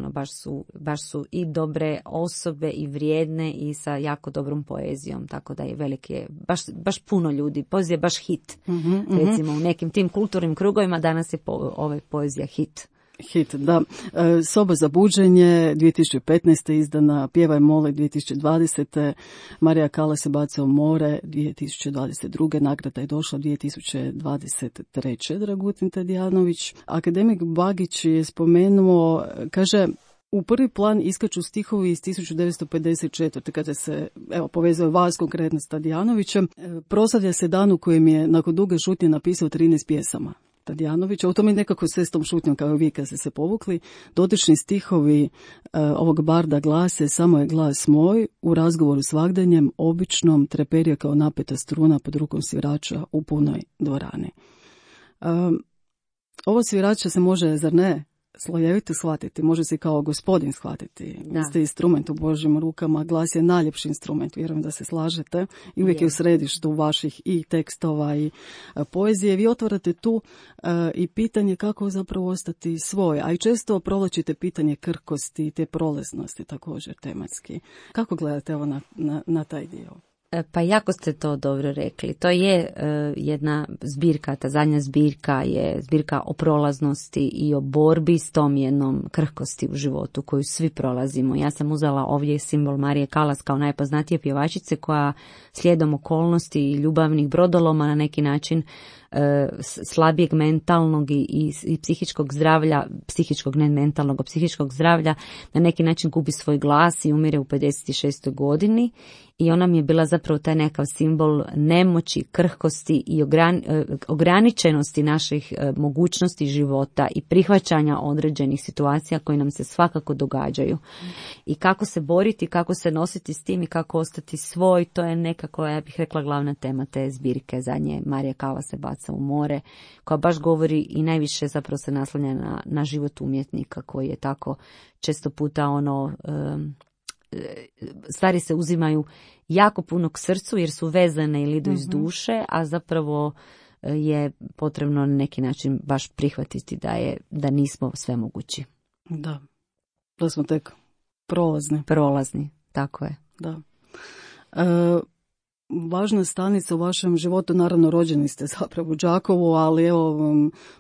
baš su i dobre osobe i vrijedne i sa jako dobrom poezijom, tako da je veliki, baš puno ljudi, poezija je baš hit, recimo u nekim tim kulturnim krugovima danas je poezija hit. Hit, da. Soba za buđenje 2015. izdana, Pjevaj mole 2020. Marija Kala se baca u more 2022. Nagrada je došla 2023. Dragutin Tadijanović. Akademik Bagić je spomenuo, kaže, u prvi plan iskaču stihovi iz 1954. kada se povezuje vas konkretno s Tadijanovićem. Proslavlja se dan u kojem je nakon duge šutnje napisao 13 pjesama. Tadijanovića, u tome nekako sve s tom šutnjom kao uvijek kad ste se povukli. Dotični stihovi ovog barda glase: samo je glas moj, u razgovoru s vagdanjem, običnom, treperija kao napeta struna pod rukom svirača u punoj dvorani. Ovo svirača se može, zar ne, slojevito shvatiti, može se kao gospodin shvatiti. Vi ste instrument u Božjim rukama, glas je najljepši instrument, vjerujem da se slažete i uvijek je u središtu vaših i tekstova i poezije. Vi otvarate tu i pitanje kako zapravo ostati svoj, a i često provlačite pitanje krhkosti i te prolaznosti također tematski. Kako gledate ovo na taj dio? Pa jako ste to dobro rekli. To je jedna zbirka, ta zadnja zbirka je zbirka o prolaznosti i o borbi s tom jednom krhkosti u životu koju svi prolazimo. Ja sam uzela ovdje simbol Marije Kalas kao najpoznatije pjevačice koja slijedom okolnosti i ljubavnih brodoloma na neki način slabijeg mentalnog i psihičkog zdravlja, psihičkog ne mentalnog, psihičkog zdravlja na neki način gubi svoj glas i umire u 56. godini i ona mi je bila zapravo taj nekav simbol nemoći, krhkosti i ograničenosti naših mogućnosti života i prihvaćanja određenih situacija koje nam se svakako događaju. I kako se boriti, kako se nositi s tim i kako ostati svoj, to je nekako, ja bih rekla, glavna tema te zbirke zadnje Marija Kala se baca u more, koja baš govori i najviše zapravo se naslanja na život umjetnika koji je tako često puta stvari se uzimaju jako puno k srcu jer su vezane ili idu iz duše, a zapravo je potrebno na neki način baš prihvatiti da nismo svemogući. Da smo tek prolazni, tako je. Da. Važna stanica u vašem životu, naravno rođeni ste zapravo u Đakovu, ali evo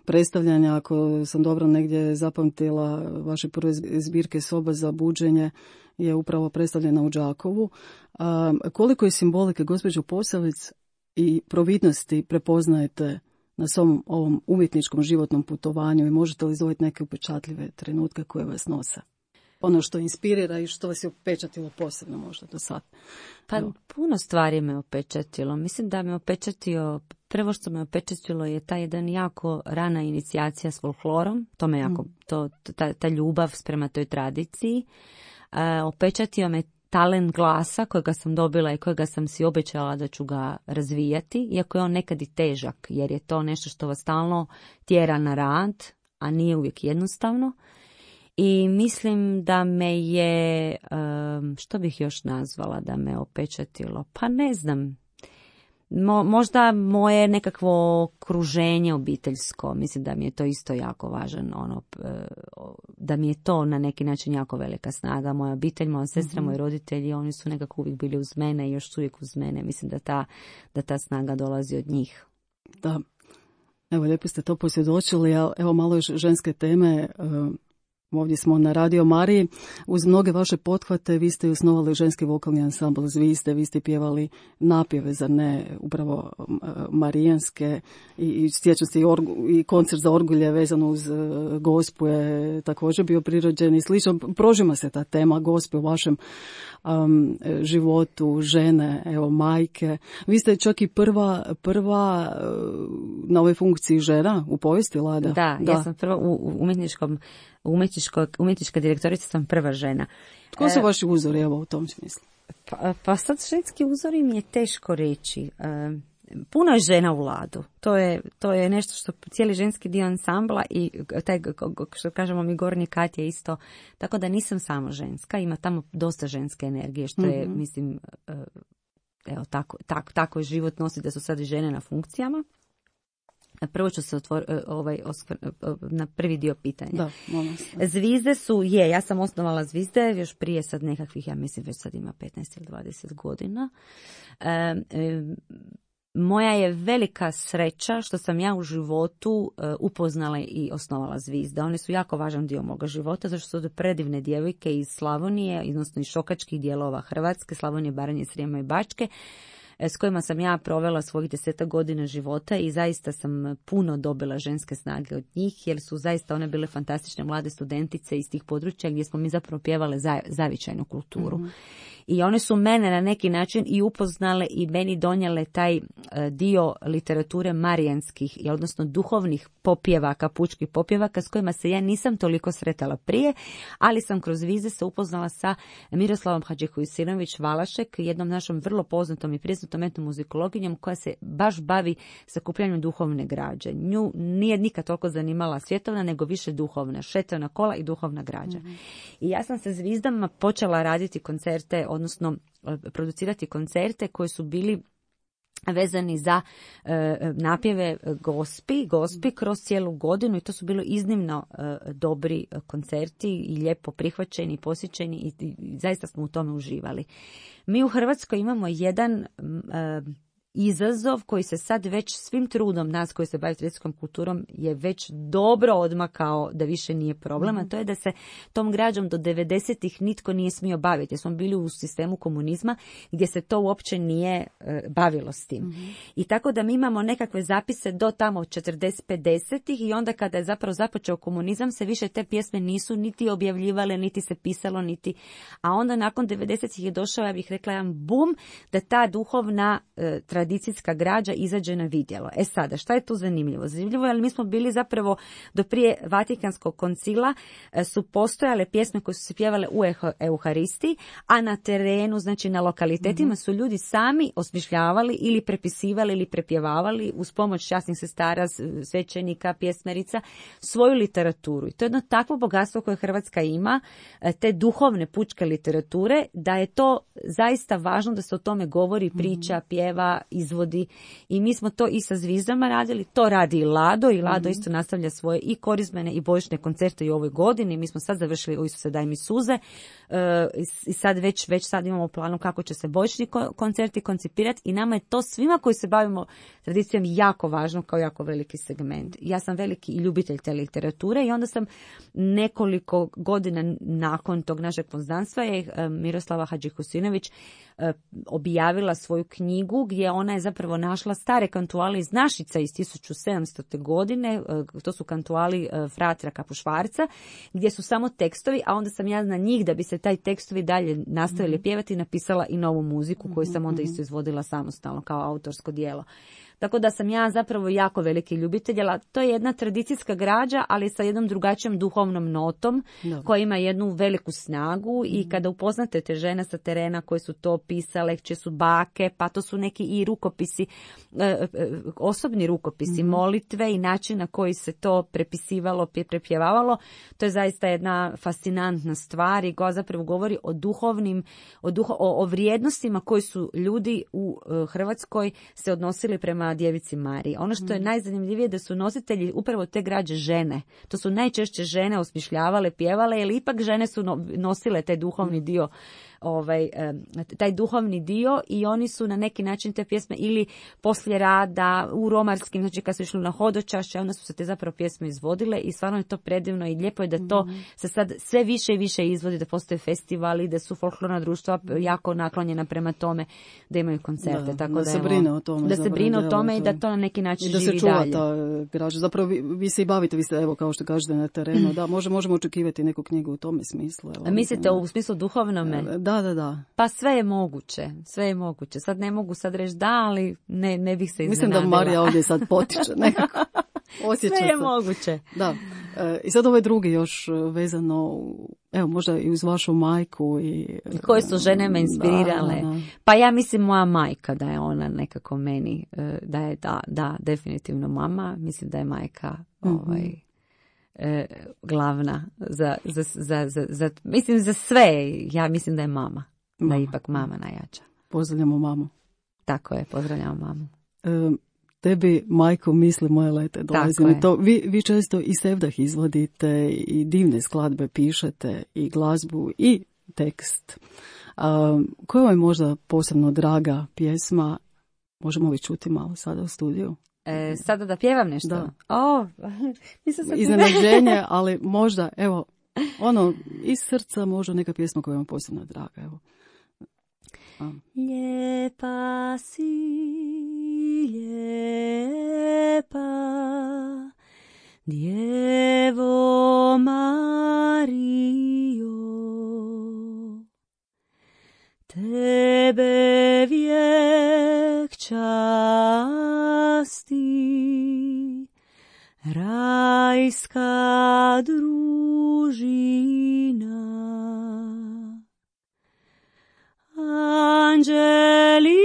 predstavljanja, ako sam dobro negdje zapamtila, vaše prve zbirke Soba za buđenje je upravo predstavljena u Đakovu. Koliko je simbolike, gospođo Posavec, i providnosti prepoznajete na svom ovom umjetničkom životnom putovanju i možete li izdvojiti neke upečatljive trenutke koje vas nose? Ono što inspirira i što vas je upečatilo posebno možda do sad. Pa puno stvari me upečatilo. Mislim da me upečatio, prvo što me upečatilo je ta jedan jako rana inicijacija s folklorom. To me jako, ta ljubav prema toj tradiciji. Upečatio me talent glasa kojega sam dobila i kojega sam si obećala da ću ga razvijati, iako je on nekad i težak, jer je to nešto što vas stalno tjera na rad, a nije uvijek jednostavno. I mislim da me je, što bih još nazvala da me opečatilo? Pa ne znam. možda moje nekakvo okruženje obiteljsko, mislim da mi je to isto jako važan, da mi je to na neki način jako velika snaga. Moja obitelj, moja sestra, moji roditelji, oni su nekako uvijek bili uz mene i još su uvijek uz mene. Mislim da ta snaga dolazi od njih. Da, evo lijepo ste to posvjedočili, a evo malo još ženske teme. Ovdje smo na Radio Mariji. Uz mnoge vaše pothvate vi ste osnovali ženski vokalni ansambl Zvizde, vi ste pjevali napjeve, zar ne, upravo marijanske i sjećam se i koncert za orgulje vezano uz Gospu je također bio prirođen i slično. Prožima se ta tema Gospe u vašem životu, žene, evo majke. Vi ste čak i prva na ovoj funkciji žena u povijesti, Lada. Da, ja sam prva u umjetnička direktorica, sam prva žena. Tko su vaši uzori, evo, u tom smislu? Pa sad ženski uzori mi je teško reći. Puno je žena u Ladu. To je nešto što cijeli ženski dio ansambla i taj, što kažemo mi, gornji kat je isto. Tako da nisam samo ženska, ima tamo dosta ženske energije, što je, mislim, evo, tako je život nosi da su sad i žene na funkcijama. Prvo ću se na prvi dio pitanja. Da, Zvizde su, ja sam osnovala Zvizde još prije sad nekakvih, ja mislim već sad ima 15 ili 20 godina. Moja je velika sreća što sam ja u životu upoznala i osnovala Zvizde. One su jako važan dio moga života, zato što su predivne djevojke iz Slavonije, odnosno iz šokačkih dijelova Hrvatske, Slavonije, Baranje, Srijema i Bačke, s kojima sam ja provela svojih 10 godina života i zaista sam puno dobila ženske snage od njih, jer su zaista one bile fantastične mlade studentice iz tih područja gdje smo mi zapravo pjevale zavičajnu kulturu. I one su mene na neki način i upoznale i meni donijele taj dio literature marijanskih, odnosno duhovnih popjevaka, pučkih popjevaka s kojima se ja nisam toliko sretala prije, ali sam kroz Vize se upoznala sa Miroslavom Hadžihusinović Valašek, jednom našom vrlo poznatom i priznatom etnomuzikologinjom koja se baš bavi sakupljanjem duhovne građe. Nju nije nikad toliko zanimala svjetovna, nego više duhovna, šetovna kola i duhovna građa. I ja sam sa Zvizdama počela raditi koncerte, odnosno producirati koncerte koji su bili vezani za napjeve Gospi kroz cijelu godinu i to su bilo iznimno dobri koncerti i lijepo prihvaćeni, posjećeni i zaista smo u tome uživali. Mi u Hrvatskoj imamo jedan izazov koji se sad već svim trudom nas koji se bavi tradicijskom kulturom je već dobro odmakao da više nije problem, a to je da se tom građom do 90-ih nitko nije smio baviti. Smo bili u sistemu komunizma gdje se to uopće nije bavilo s tim. I tako da mi imamo nekakve zapise do tamo 40-50-ih i onda kada je zapravo započeo komunizam se više te pjesme nisu niti objavljivale, niti se pisalo, a onda nakon 90-ih je došao, ja bih rekla, jedan bum da ta duhovna tradicijska građa izađe na vidjelo. Sada, šta je tu zanimljivo? Zanimljivo je, ali mi smo bili zapravo do prije Vatikanskog koncila su postojale pjesme koje su se pjevale u Euharistiji, a na terenu, znači na lokalitetima su ljudi sami osmišljavali ili prepisivali ili prepjevavali uz pomoć časnih sestara, svećenika, pjesmerica svoju literaturu. I to je jedno takvo bogatstvo koje Hrvatska ima, te duhovne pučke literature, da je to zaista važno da se o tome govori, priča, pjeva, izvodi i mi smo to i sa Zvizdama radili, to radi i Lado isto nastavlja svoje i korizmene i božićne koncerte i u ovoj godini. Mi smo sad završili u Isuse daj mi suze i sad već sad imamo planu kako će se božićni koncerti koncipirati i nama je to svima koji se bavimo tradicijom jako važno kao jako veliki segment. Ja sam veliki i ljubitelj te literature i onda sam nekoliko godina nakon tog našeg poznanstva je Miroslava Hadžihusinović objavila svoju knjigu gdje ona je zapravo našla stare kantuale iz Našica iz 1700. godine, to su kantuali fratra Kapušvarca, gdje su samo tekstovi, a onda sam ja na njih, da bi se taj tekstovi dalje nastavili pjevati, napisala i novu muziku koju sam onda isto izvodila samostalno kao autorsko djelo. Tako da sam ja zapravo jako veliki ljubitelj, ali to je jedna tradicijska građa, ali sa jednom drugačijom duhovnom notom, koja ima jednu veliku snagu i kada upoznate te žene sa terena koje su to pisale, čije su bake, pa to su neki i rukopisi, osobni rukopisi, molitve i način na koji se to prepisivalo, prepjevavalo, to je zaista jedna fascinantna stvar i koja zapravo govori o duhovnim, o vrijednostima koji su ljudi u Hrvatskoj se odnosili prema djevici Mariji. Ono što je najzanimljivije da su nositelji upravo te građe žene. To su najčešće žene osmišljavale, pjevale, jer ipak žene su nosile taj duhovni dio, taj duhovni dio i oni su na neki način te pjesme ili poslije rada u romarskim, znači kad su išli na hodočašće, onda su se te zapravo pjesme izvodile i stvarno je to predivno i lijepo je da to se sad sve više i više izvodi, da postoje festivali, da su folklorna društva jako naklonjena prema tome, da imaju koncerte. Tako da se brine o tome. Da se brine o tome i da to na neki način živi dalje. I da se čuva ta građa. Zapravo vi se i bavite, vi ste, evo, kao što kažete, na terenu. Da, možemo očekivati neku knjigu u tome smislu. Evo, mislite u smislu duhovnome? Da. Pa sve je moguće. Sad ne mogu reći da, ali ne bih se iznenadila. Mislim da Marija ovdje sad potiče nekako. Osjeća sve je moguće. Da. I sad ovaj drugi još vezano, evo možda i uz vašu majku. Koje su žene me inspirirale. Da. Pa ja mislim moja majka da je ona nekako meni, da je definitivno mama. Mislim da je majka glavna mislim za sve. Ja mislim da je mama. Da je ipak mama najjača. Pozdravljamo mamu. Tako je, pozdravljamo mamu. Tebi, majko, misli moje lete, dolazi mi to. Vi često i sevdah izvodite i divne skladbe pišete i glazbu i tekst. Koja vam je možda posebno draga pjesma? Možemo li čuti malo sada u studiju? Sada da pjevam nešto? Da. Iznenađenje, ali možda, evo, iz srca možda neka pjesma koja vam posebno draga, evo. Lijepa si, lijepa, Djevo Marijo, tebe vijek časti, rajska družina. Anđeli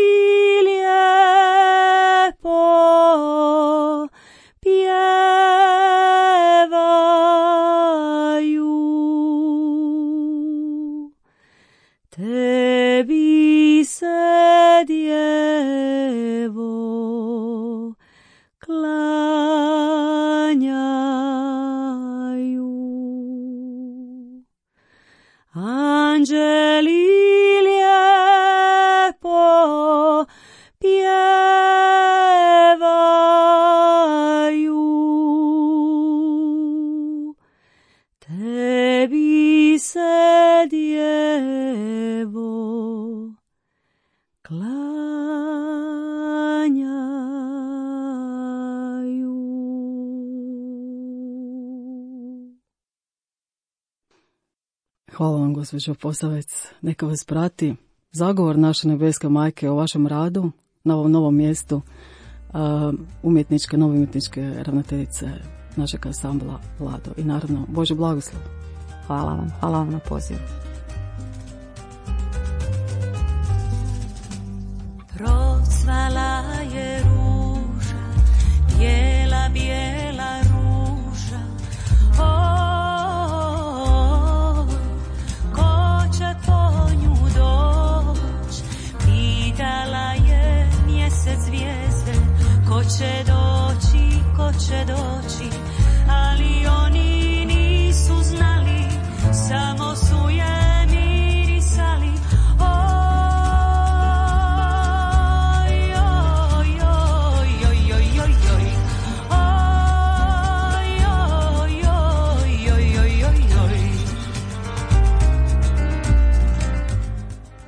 lijepo pjevaju, tebi se Djevo klanjaju. Anđeli tebi se Djevo klanjaju. Hvala vam, gospođo Posavec. Neka vas prati zagovor naše nebeske majke o vašem radu na ovom novom mjestu, nove umjetničke ravnateljice našeg ansambla Lado. I naravno, Bože blagoslov. Hvala vam na pozivu. Procvala je ruža, bijela, bijela ruža. Ko će po nju doć? Pitala je mjesec zvijezde. Ko će doći? Ali oni nisu znali, samo su je mirisali.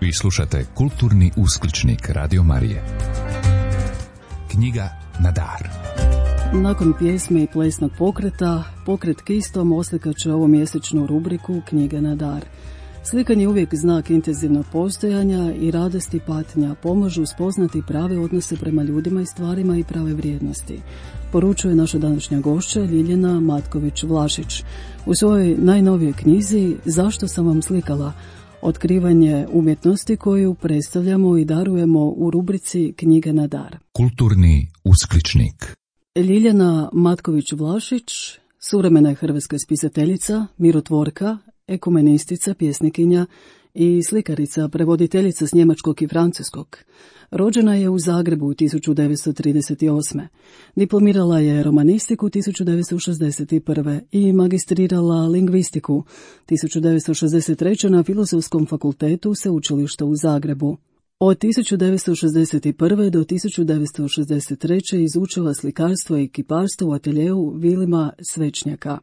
Vi slušate Kulturni uskličnik Radio Marije. Knjiga na dar. Nakon pjesme i plesnog pokreta, pokret Kistom oslikaće ovu mjesečnu rubriku Knjiga na dar. Slikanje je uvijek znak intenzivnog postojanja i radosti i patnja, pomažu spoznati prave odnose prema ljudima i stvarima i prave vrijednosti. Poručuje naša današnja gošća Ljiljana Matković-Vlašić u svojoj najnovijoj knjizi Zašto sam vam slikala? Otkrivanje umjetnosti koju predstavljamo i darujemo u rubrici Knjige na dar. Kulturni uskličnik. Ljiljana Matković-Vlašić, suvremena je hrvatska spisateljica, mirotvorka, ekumenistica, pjesnikinja i slikarica, prevoditeljica s njemačkog i francuskog. Rođena je u Zagrebu 1938. Diplomirala je romanistiku 1961. i magistrirala lingvistiku 1963. na Filozofskom fakultetu Sveučilišta u Zagrebu. Od 1961. do 1963. izučila slikarstvo i kiparstvo u ateljeu Vilima Svečnjaka.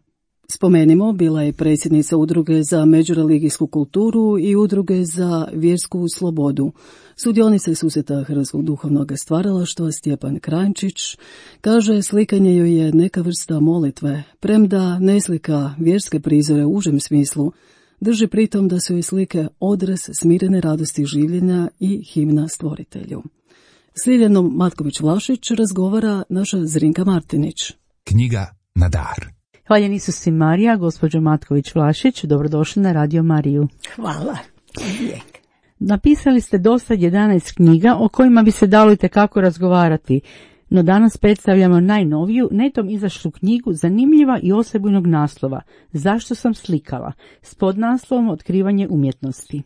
Spomenimo, bila je predsjednica Udruge za međureligijsku kulturu i Udruge za vjersku slobodu. Sudionica je susreta Hrvatskog duhovnog stvaralaštva Stjepan Kranjčić. Kaže, slikanje joj je neka vrsta molitve, premda ne slika vjerske prizore u užem smislu, drži pritom da su joj slike odraz smirene radosti življenja i himna stvoritelju. S Ljiljanom Matković-Vlašić razgovara naša Zrinka Martinić. Knjiga na dar. Hvaljen Isus i Marija, gospođo Matković-Vlašić, dobrodošli na Radio Mariju. Hvala. Napisali ste dosta 11 knjiga o kojima bi se dalo itekako razgovarati, no danas predstavljamo najnoviju, netom izašlu knjigu zanimljiva i osebujnog naslova Zašto sam slikala, s podnaslovom Otkrivanje umjetnosti.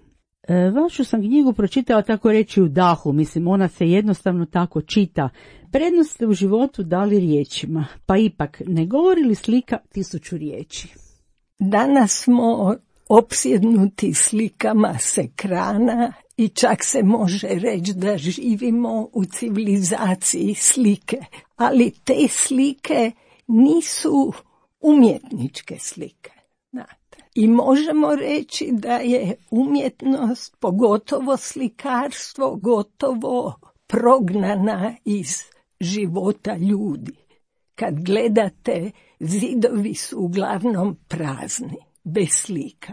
Vašu sam knjigu pročitala tako reći u dahu, mislim ona se jednostavno tako čita. Prednost ste u životu dali riječima, pa ipak ne govori li slika 1000 riječi? Danas smo opsjednuti slikama s ekrana i čak se može reći da živimo u civilizaciji slike, ali te slike nisu umjetničke slike. I možemo reći da je umjetnost, pogotovo slikarstvo, gotovo prognana iz života ljudi. Kad gledate, zidovi su uglavnom prazni, bez slika.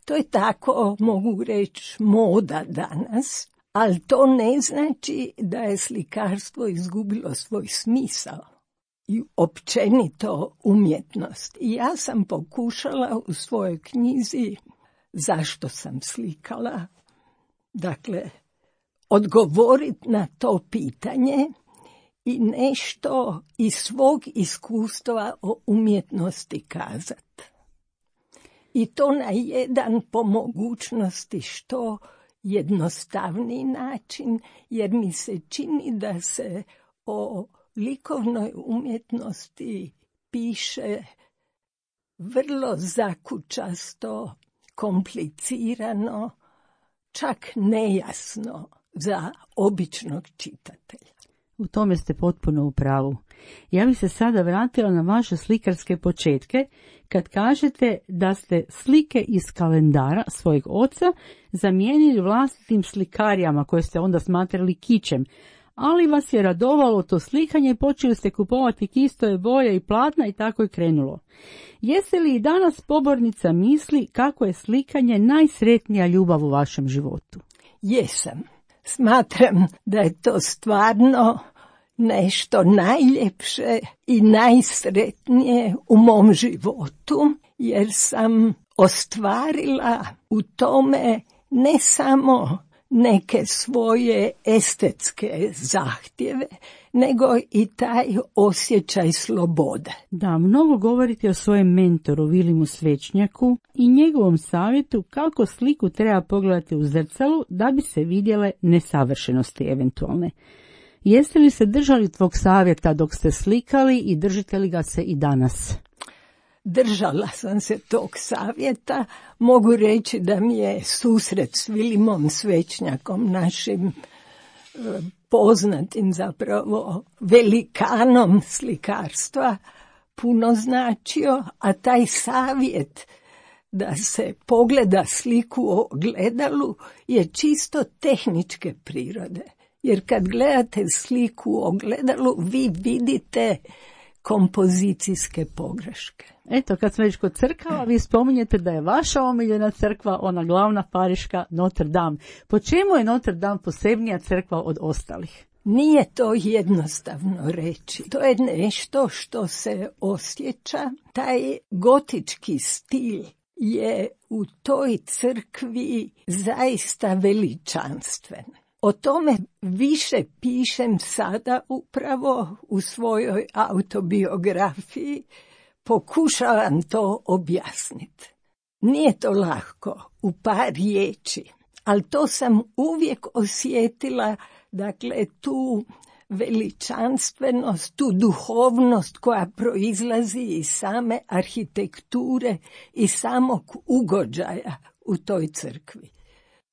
To je tako, mogu reći, moda danas, ali to ne znači da je slikarstvo izgubilo svoj smisao i općenito umjetnost. I ja sam pokušala u svojoj knjizi Zašto sam slikala, dakle, odgovoriti na to pitanje i nešto iz svog iskustva o umjetnosti kazati. I to na jedan, po mogućnosti, što jednostavniji način, jer mi se čini da se o likovnoj umjetnosti piše vrlo zakučasto, komplicirano, čak nejasno za običnog čitatelja. U tome ste potpuno u pravu. Ja bih se sada vratila na vaše slikarske početke, kad kažete da ste slike iz kalendara svojeg oca zamijenili vlastitim slikarijama koje ste onda smatrali kičem, ali vas je radovalo to slikanje i počeli ste kupovati kistove, boje i platna i tako je krenulo. Jeste li i danas pobornica misli kako je slikanje najsretnija ljubav u vašem životu? Jesam. Smatram da je to stvarno nešto najljepše i najsretnije u mom životu, jer sam ostvarila u tome ne samo neke svoje estetske zahtjeve, nego i taj osjećaj slobode. Da, mnogo govorite o svojem mentoru Vilimu Svečnjaku i njegovom savjetu kako sliku treba pogledati u zrcalu da bi se vidjele nesavršenosti eventualne. Jeste li se držali tvog savjeta dok ste slikali i držite li ga se i danas? Držala sam se tog savjeta. Mogu reći da mi je susret s Vilimom Svečnjakom, našim poznatim zapravo velikanom slikarstva, puno značio, a taj savjet da se pogleda sliku u ogledalu je čisto tehničke prirode. Jer kad gledate sliku u ogledalu, vi vidite kompozicijske pogreške. Eto, kad smo već kod crkava, vi spominjete da je vaša omiljena crkva, ona glavna pariška Notre Dame. Po čemu je Notre Dame posebnija crkva od ostalih? Nije to jednostavno reći. To je nešto što se osjeća. Taj gotički stil je u toj crkvi zaista veličanstven. O tome više pišem sada upravo u svojoj autobiografiji. Pokušavam to objasniti. Nije to lako u par riječi, ali to sam uvijek osjetila, dakle tu veličanstvenost, tu duhovnost koja proizlazi iz same arhitekture i samog ugođaja u toj crkvi.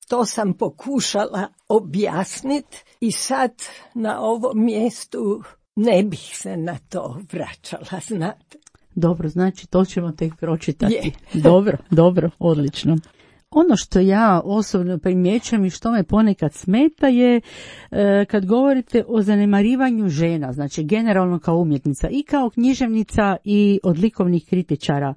To sam pokušala objasniti i sad na ovom mjestu ne bih se na to vraćala, znate. Dobro, znači to ćemo tek pročitati. Je. Dobro, odlično. Ono što ja osobno primjećujem i što me ponekad smeta je kad govorite o zanemarivanju žena, znači generalno kao umjetnica i kao književnica i od likovnih kritičara.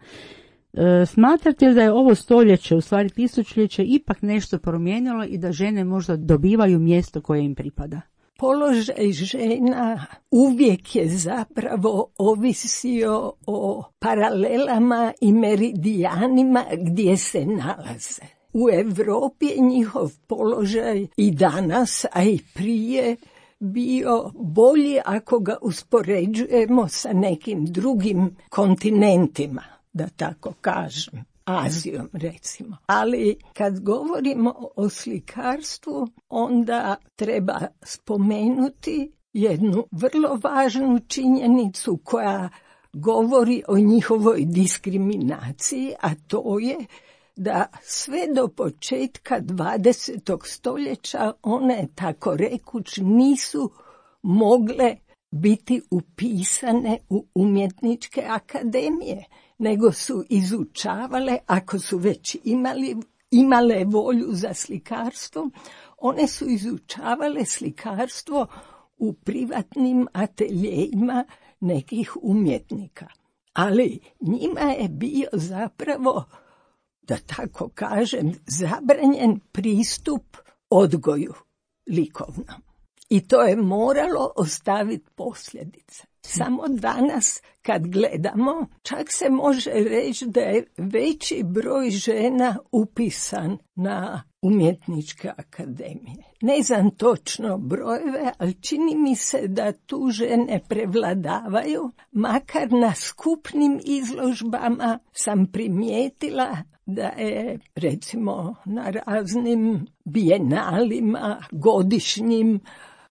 Smatrate li da je ovo stoljeće, u stvari tisućljeće, ipak nešto promijenilo i da žene možda dobivaju mjesto koje im pripada? Položaj žena uvijek je zapravo ovisio o paralelama i meridijanima gdje se nalaze. U Europi je njihov položaj i danas, a i prije, bio bolji ako ga uspoređujemo sa nekim drugim kontinentima, da tako kažem. Azijom, recimo. Ali kad govorimo o slikarstvu, onda treba spomenuti jednu vrlo važnu činjenicu koja govori o njihovoj diskriminaciji, a to je da sve do početka 20. stoljeća one, tako rekuć, nisu mogle biti upisane u umjetničke akademije, nego su izučavale, ako su već imale volju za slikarstvo, one su izučavale slikarstvo u privatnim ateljejima nekih umjetnika. Ali njima je bio zapravo, da tako kažem, zabranjen pristup odgoju likovnom. I to je moralo ostaviti posljedice. Samo danas kad gledamo, čak se može reći da je veći broj žena upisan na umjetničke akademije. Ne znam točno brojeve, ali čini mi se da tu žene prevladavaju. Makar na skupnim izložbama sam primijetila da je, recimo, na raznim bijenalima, godišnjim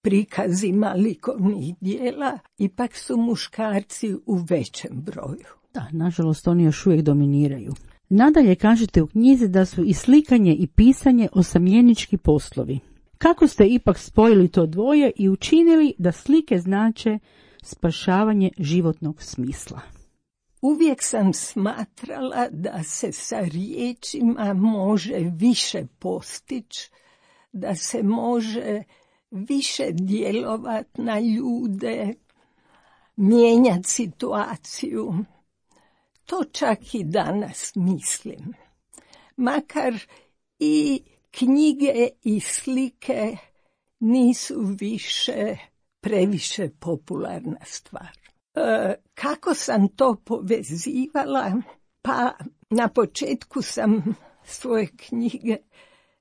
prikazima likovnih dijela, ipak su muškarci u većem broju. Da, nažalost oni još uvijek dominiraju. Nadalje kažete u knjizi da su i slikanje i pisanje osamljenički poslovi. Kako ste ipak spojili to dvoje i učinili da slike znače spašavanje životnog smisla? Uvijek sam smatrala da se sa riječima može više postići, da se može više djelovati na ljude, mijenjati situaciju. To čak i danas mislim. Makar i knjige i slike nisu više previše popularna stvar. Kako sam to povezivala? Pa na početku sam svoje knjige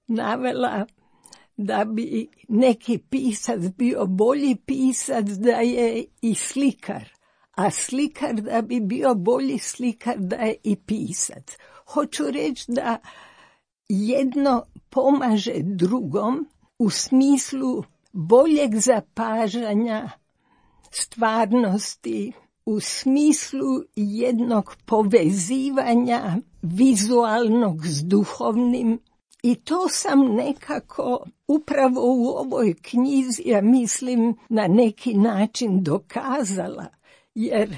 navela da bi neki pisac bio bolji pisac da je i slikar, a slikar da bi bio bolji slikar da je i pisac. Hoću reći da jedno pomaže drugom u smislu boljeg zapažanja stvarnosti, u smislu jednog povezivanja vizualnog s duhovnim. I to sam nekako upravo u ovoj knjizi, ja mislim, na neki način dokazala, jer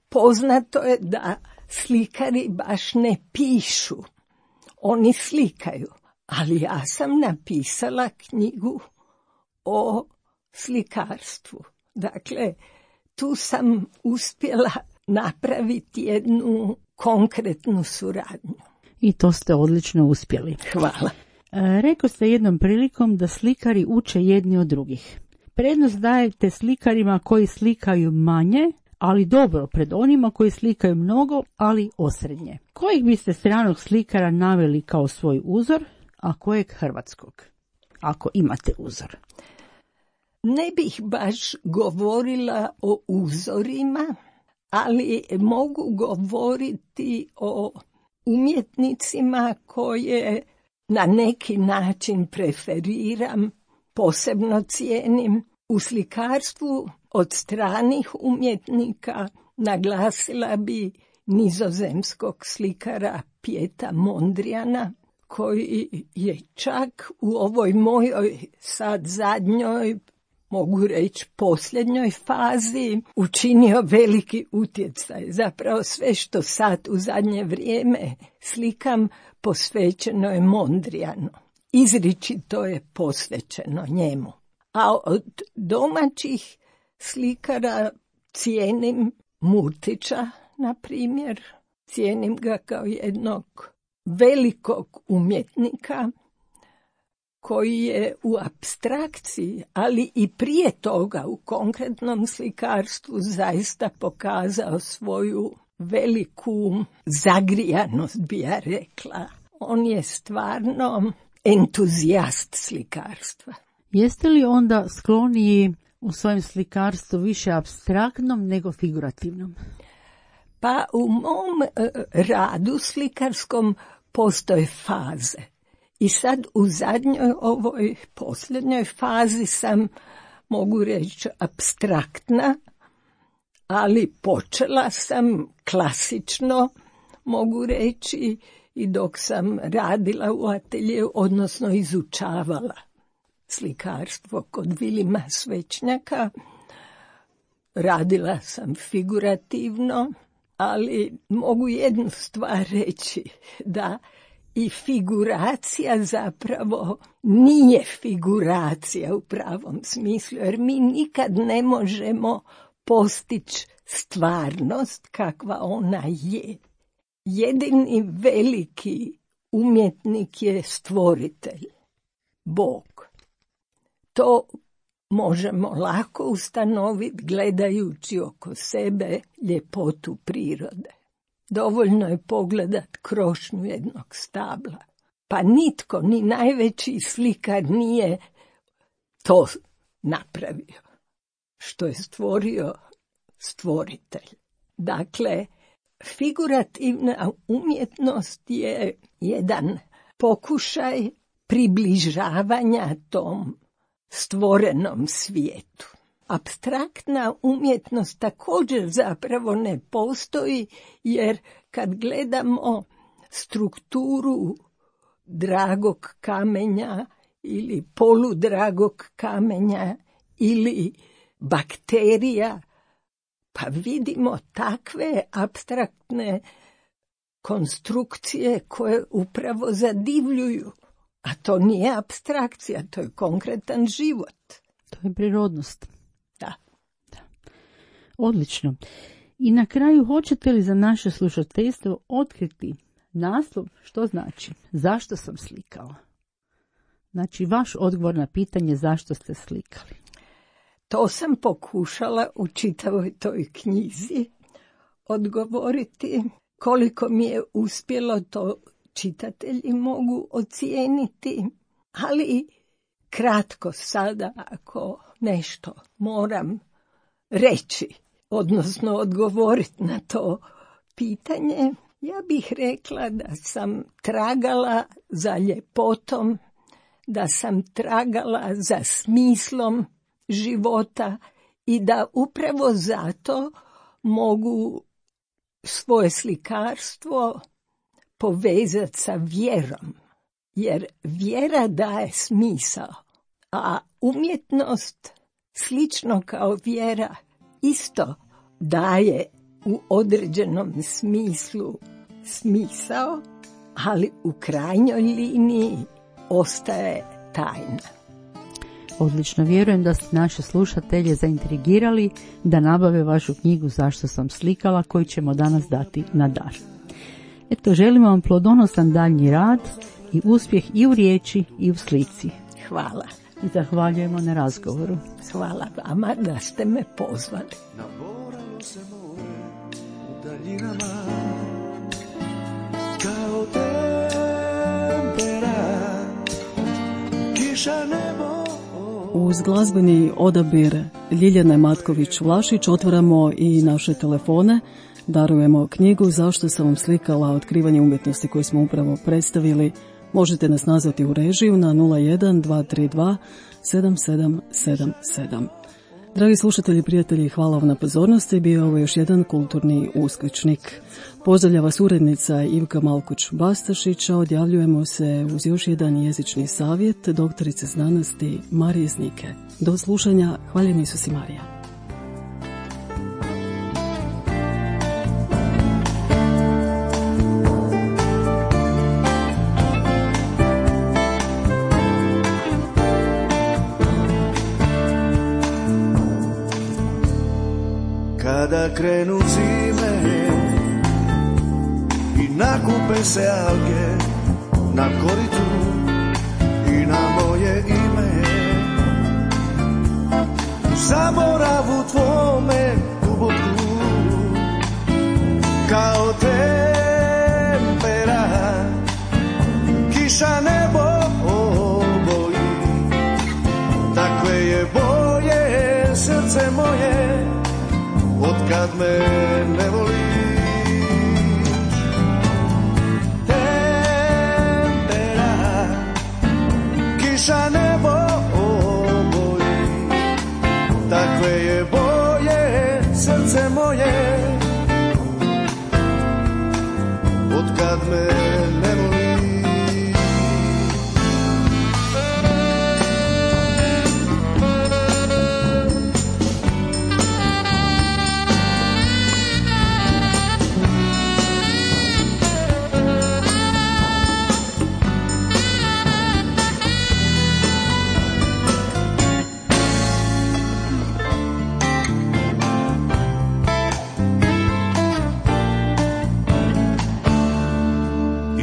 poznato je da slikari baš ne pišu, oni slikaju. Ali ja sam napisala knjigu o slikarstvu. Dakle, tu sam uspjela napraviti jednu konkretnu suradnju. I to ste odlično uspjeli. Hvala. Rekao ste jednom prilikom da slikari uče jedni od drugih. Prednost dajete slikarima koji slikaju manje, ali dobro, pred onima koji slikaju mnogo, ali osrednje. Kojeg biste stranog slikara naveli kao svoj uzor, a kojeg hrvatskog? Ako imate uzor. Ne bih baš govorila o uzorima, ali mogu govoriti o umjetnicima koje na neki način preferiram, posebno cijenim. U slikarstvu od stranih umjetnika naglasila bi nizozemskog slikara Pieta Mondriana, koji je čak u ovoj mojoj sad zadnjoj, mogu reći posljednjoj fazi, učinio veliki utjecaj. Zapravo sve što sad u zadnje vrijeme slikam posvećeno je Mondrianu. Izričito je posvećeno njemu. A od domaćih slikara cijenim Murtića, na primjer. Cijenim ga kao jednog velikog umjetnika koji je u apstrakciji, ali i prije toga u konkretnom slikarstvu zaista pokazao svoju veliku zagrijanost, bi ja rekla. On je stvarno entuzijast slikarstva. Jeste li onda skloniji u svojem slikarstvu više apstraktnom nego figurativnom? Pa u mom radu slikarskom postoje faze. I sad u zadnjoj, ovoj posljednjoj fazi sam, mogu reći, apstraktna, ali počela sam klasično, mogu reći, i dok sam radila u ateljeu, odnosno izučavala slikarstvo kod Vilima Svečnjaka, radila sam figurativno, ali mogu jednu stvar reći, da i figuracija zapravo nije figuracija u pravom smislu, jer mi nikad ne možemo postići stvarnost kakva ona je. Jedini veliki umjetnik je stvoritelj, Bog. To možemo lako ustanoviti gledajući oko sebe ljepotu prirode. Dovoljno je pogledat krošnju jednog stabla. Pa nitko, ni najveći slikar nije to napravio. Što je stvorio stvoritelj. Dakle, figurativna umjetnost je jedan pokušaj približavanja tom stvorenom svijetu. Apstraktna umjetnost također zapravo ne postoji, jer kad gledamo strukturu dragog kamenja ili poludragog kamenja ili bakterija, pa vidimo takve apstraktne konstrukcije koje upravo zadivljuju. A to nije apstrakcija, to je konkretan život. To je prirodnost. Da. Odlično. I na kraju, hoćete li za naše slušateljstvo otkriti naslov što znači zašto sam slikala? Znači, vaš odgovor na pitanje zašto ste slikali. To sam pokušala u čitavoj toj knjizi odgovoriti. Koliko mi je uspjelo, to čitatelji mogu ocijeniti, ali kratko sada, ako nešto moram reći, odnosno odgovoriti na to pitanje, ja bih rekla da sam tragala za ljepotom, da sam tragala za smislom života i da upravo zato mogu svoje slikarstvo povezati sa vjerom, jer vjera daje smisao, a umjetnost, slično kao vjera, isto daje u određenom smislu smisao, ali u krajnjoj liniji ostaje tajna. Odlično, vjerujem da ste naše slušatelje zaintrigirali da nabave vašu knjigu Zašto sam slikala, koju ćemo danas dati na dar. Eto, želimo vam plodonosan daljnji rad i uspjeh i u riječi i u slici. Hvala. I zahvaljujemo na razgovoru. Hvala vama da ste me pozvali. Naboralo se more u daljinama, kao tempera, kiša nebo. Uz glazbeni odabir Ljiljane Matković-Vlašić otvaramo i naše telefone. Darujemo knjigu Zašto sam vam slikala, otkrivanje umjetnosti koju smo upravo predstavili. Možete nas nazvati u režiju na 01 232 7777. Dragi slušatelji i prijatelji, hvala vam na pozornosti. Bio je ovo još jedan kulturni uskličnik. Pozdravlja vas urednica Ivka Malkuć-Bastašić, a odjavljujemo se uz još jedan jezični savjet doktorice znanosti Marije Znike. Do slušanja, hvaljen Isus i Marija. Kada krenu zime i nakupe se alge na koritu i na moje ime, u zaboravu tvome duboku, kao tempera, kiša nebo oboji, takve je boje srce moje, otkad me ne voliš. Tempera, kiša nebo oboji, takve je boje srce moje, otkad me ne voliš.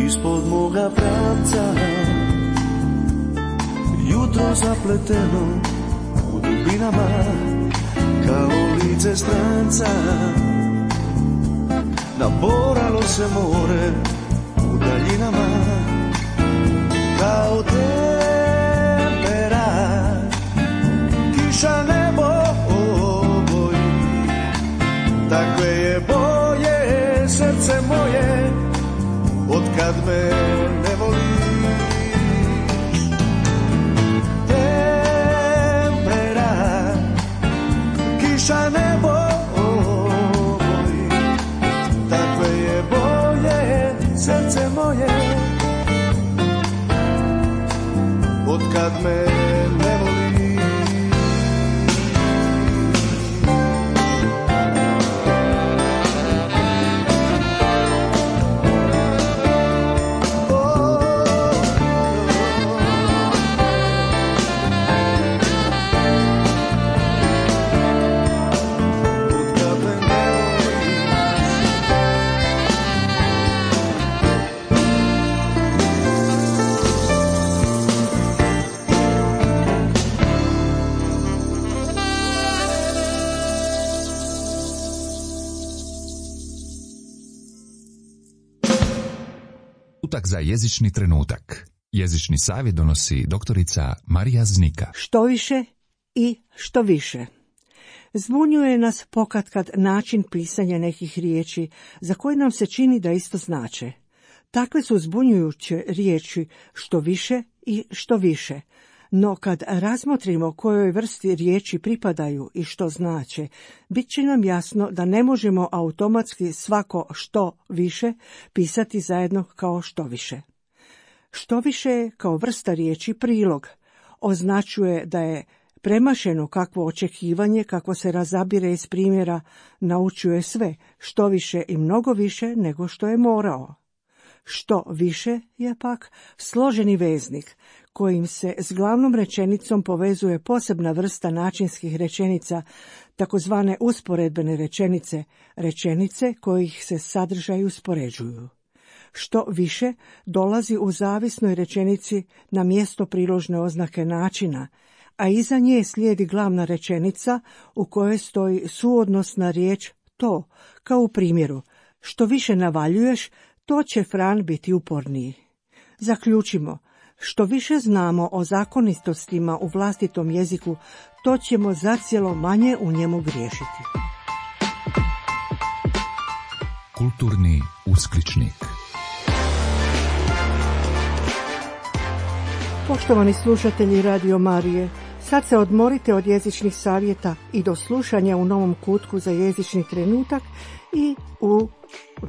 Ispod moga pravca jutro zapleteno u dubinama, kao lice stranca. Naboralo se more u daljinama, kao tempera, kiša nebo oboji, takve je boje srce moje, otkad me ne voliš. Tempera, kiša nebo oboji, takve je boje srce moje, otkad me ne voliš. Za jezični trenutak. Jezični savjet donosi doktorica Marija Znika. Što više i što više. Zbunjuje nas pokatkad način pisanja nekih riječi za koje nam se čini da isto znače. Takve su zbunjujuće riječi što više i što više. No kad razmotrimo kojoj vrsti riječi pripadaju i što znače, bit će nam jasno da ne možemo automatski svako što više pisati zajedno kao što više. Što više je kao vrsta riječi prilog. Označuje da je premašeno kakvo očekivanje, kako se razabire iz primjera, naučuje sve, što više i mnogo više nego što je morao. Što više je pak složeni veznik, kojim se s glavnom rečenicom povezuje posebna vrsta načinskih rečenica, takozvane usporedbene rečenice, rečenice kojih se sadržaji uspoređuju. Što više dolazi u zavisnoj rečenici na mjesto priložne oznake načina, a iza nje slijedi glavna rečenica u kojoj stoji suodnosna riječ to, kao u primjeru: što više navaljuješ, to će Fran biti uporniji. Zaključimo, što više znamo o zakonitostima u vlastitom jeziku, to ćemo zacijelo manje u njemu griješiti. Kulturni uskličnik. Poštovani slušatelji Radio Marije, sad se odmorite od jezičnih savjeta i do slušanja u novom kutku za jezični trenutak i u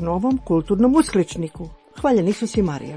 novom kulturnom uskličniku. Hvaljeni Isus i Marija.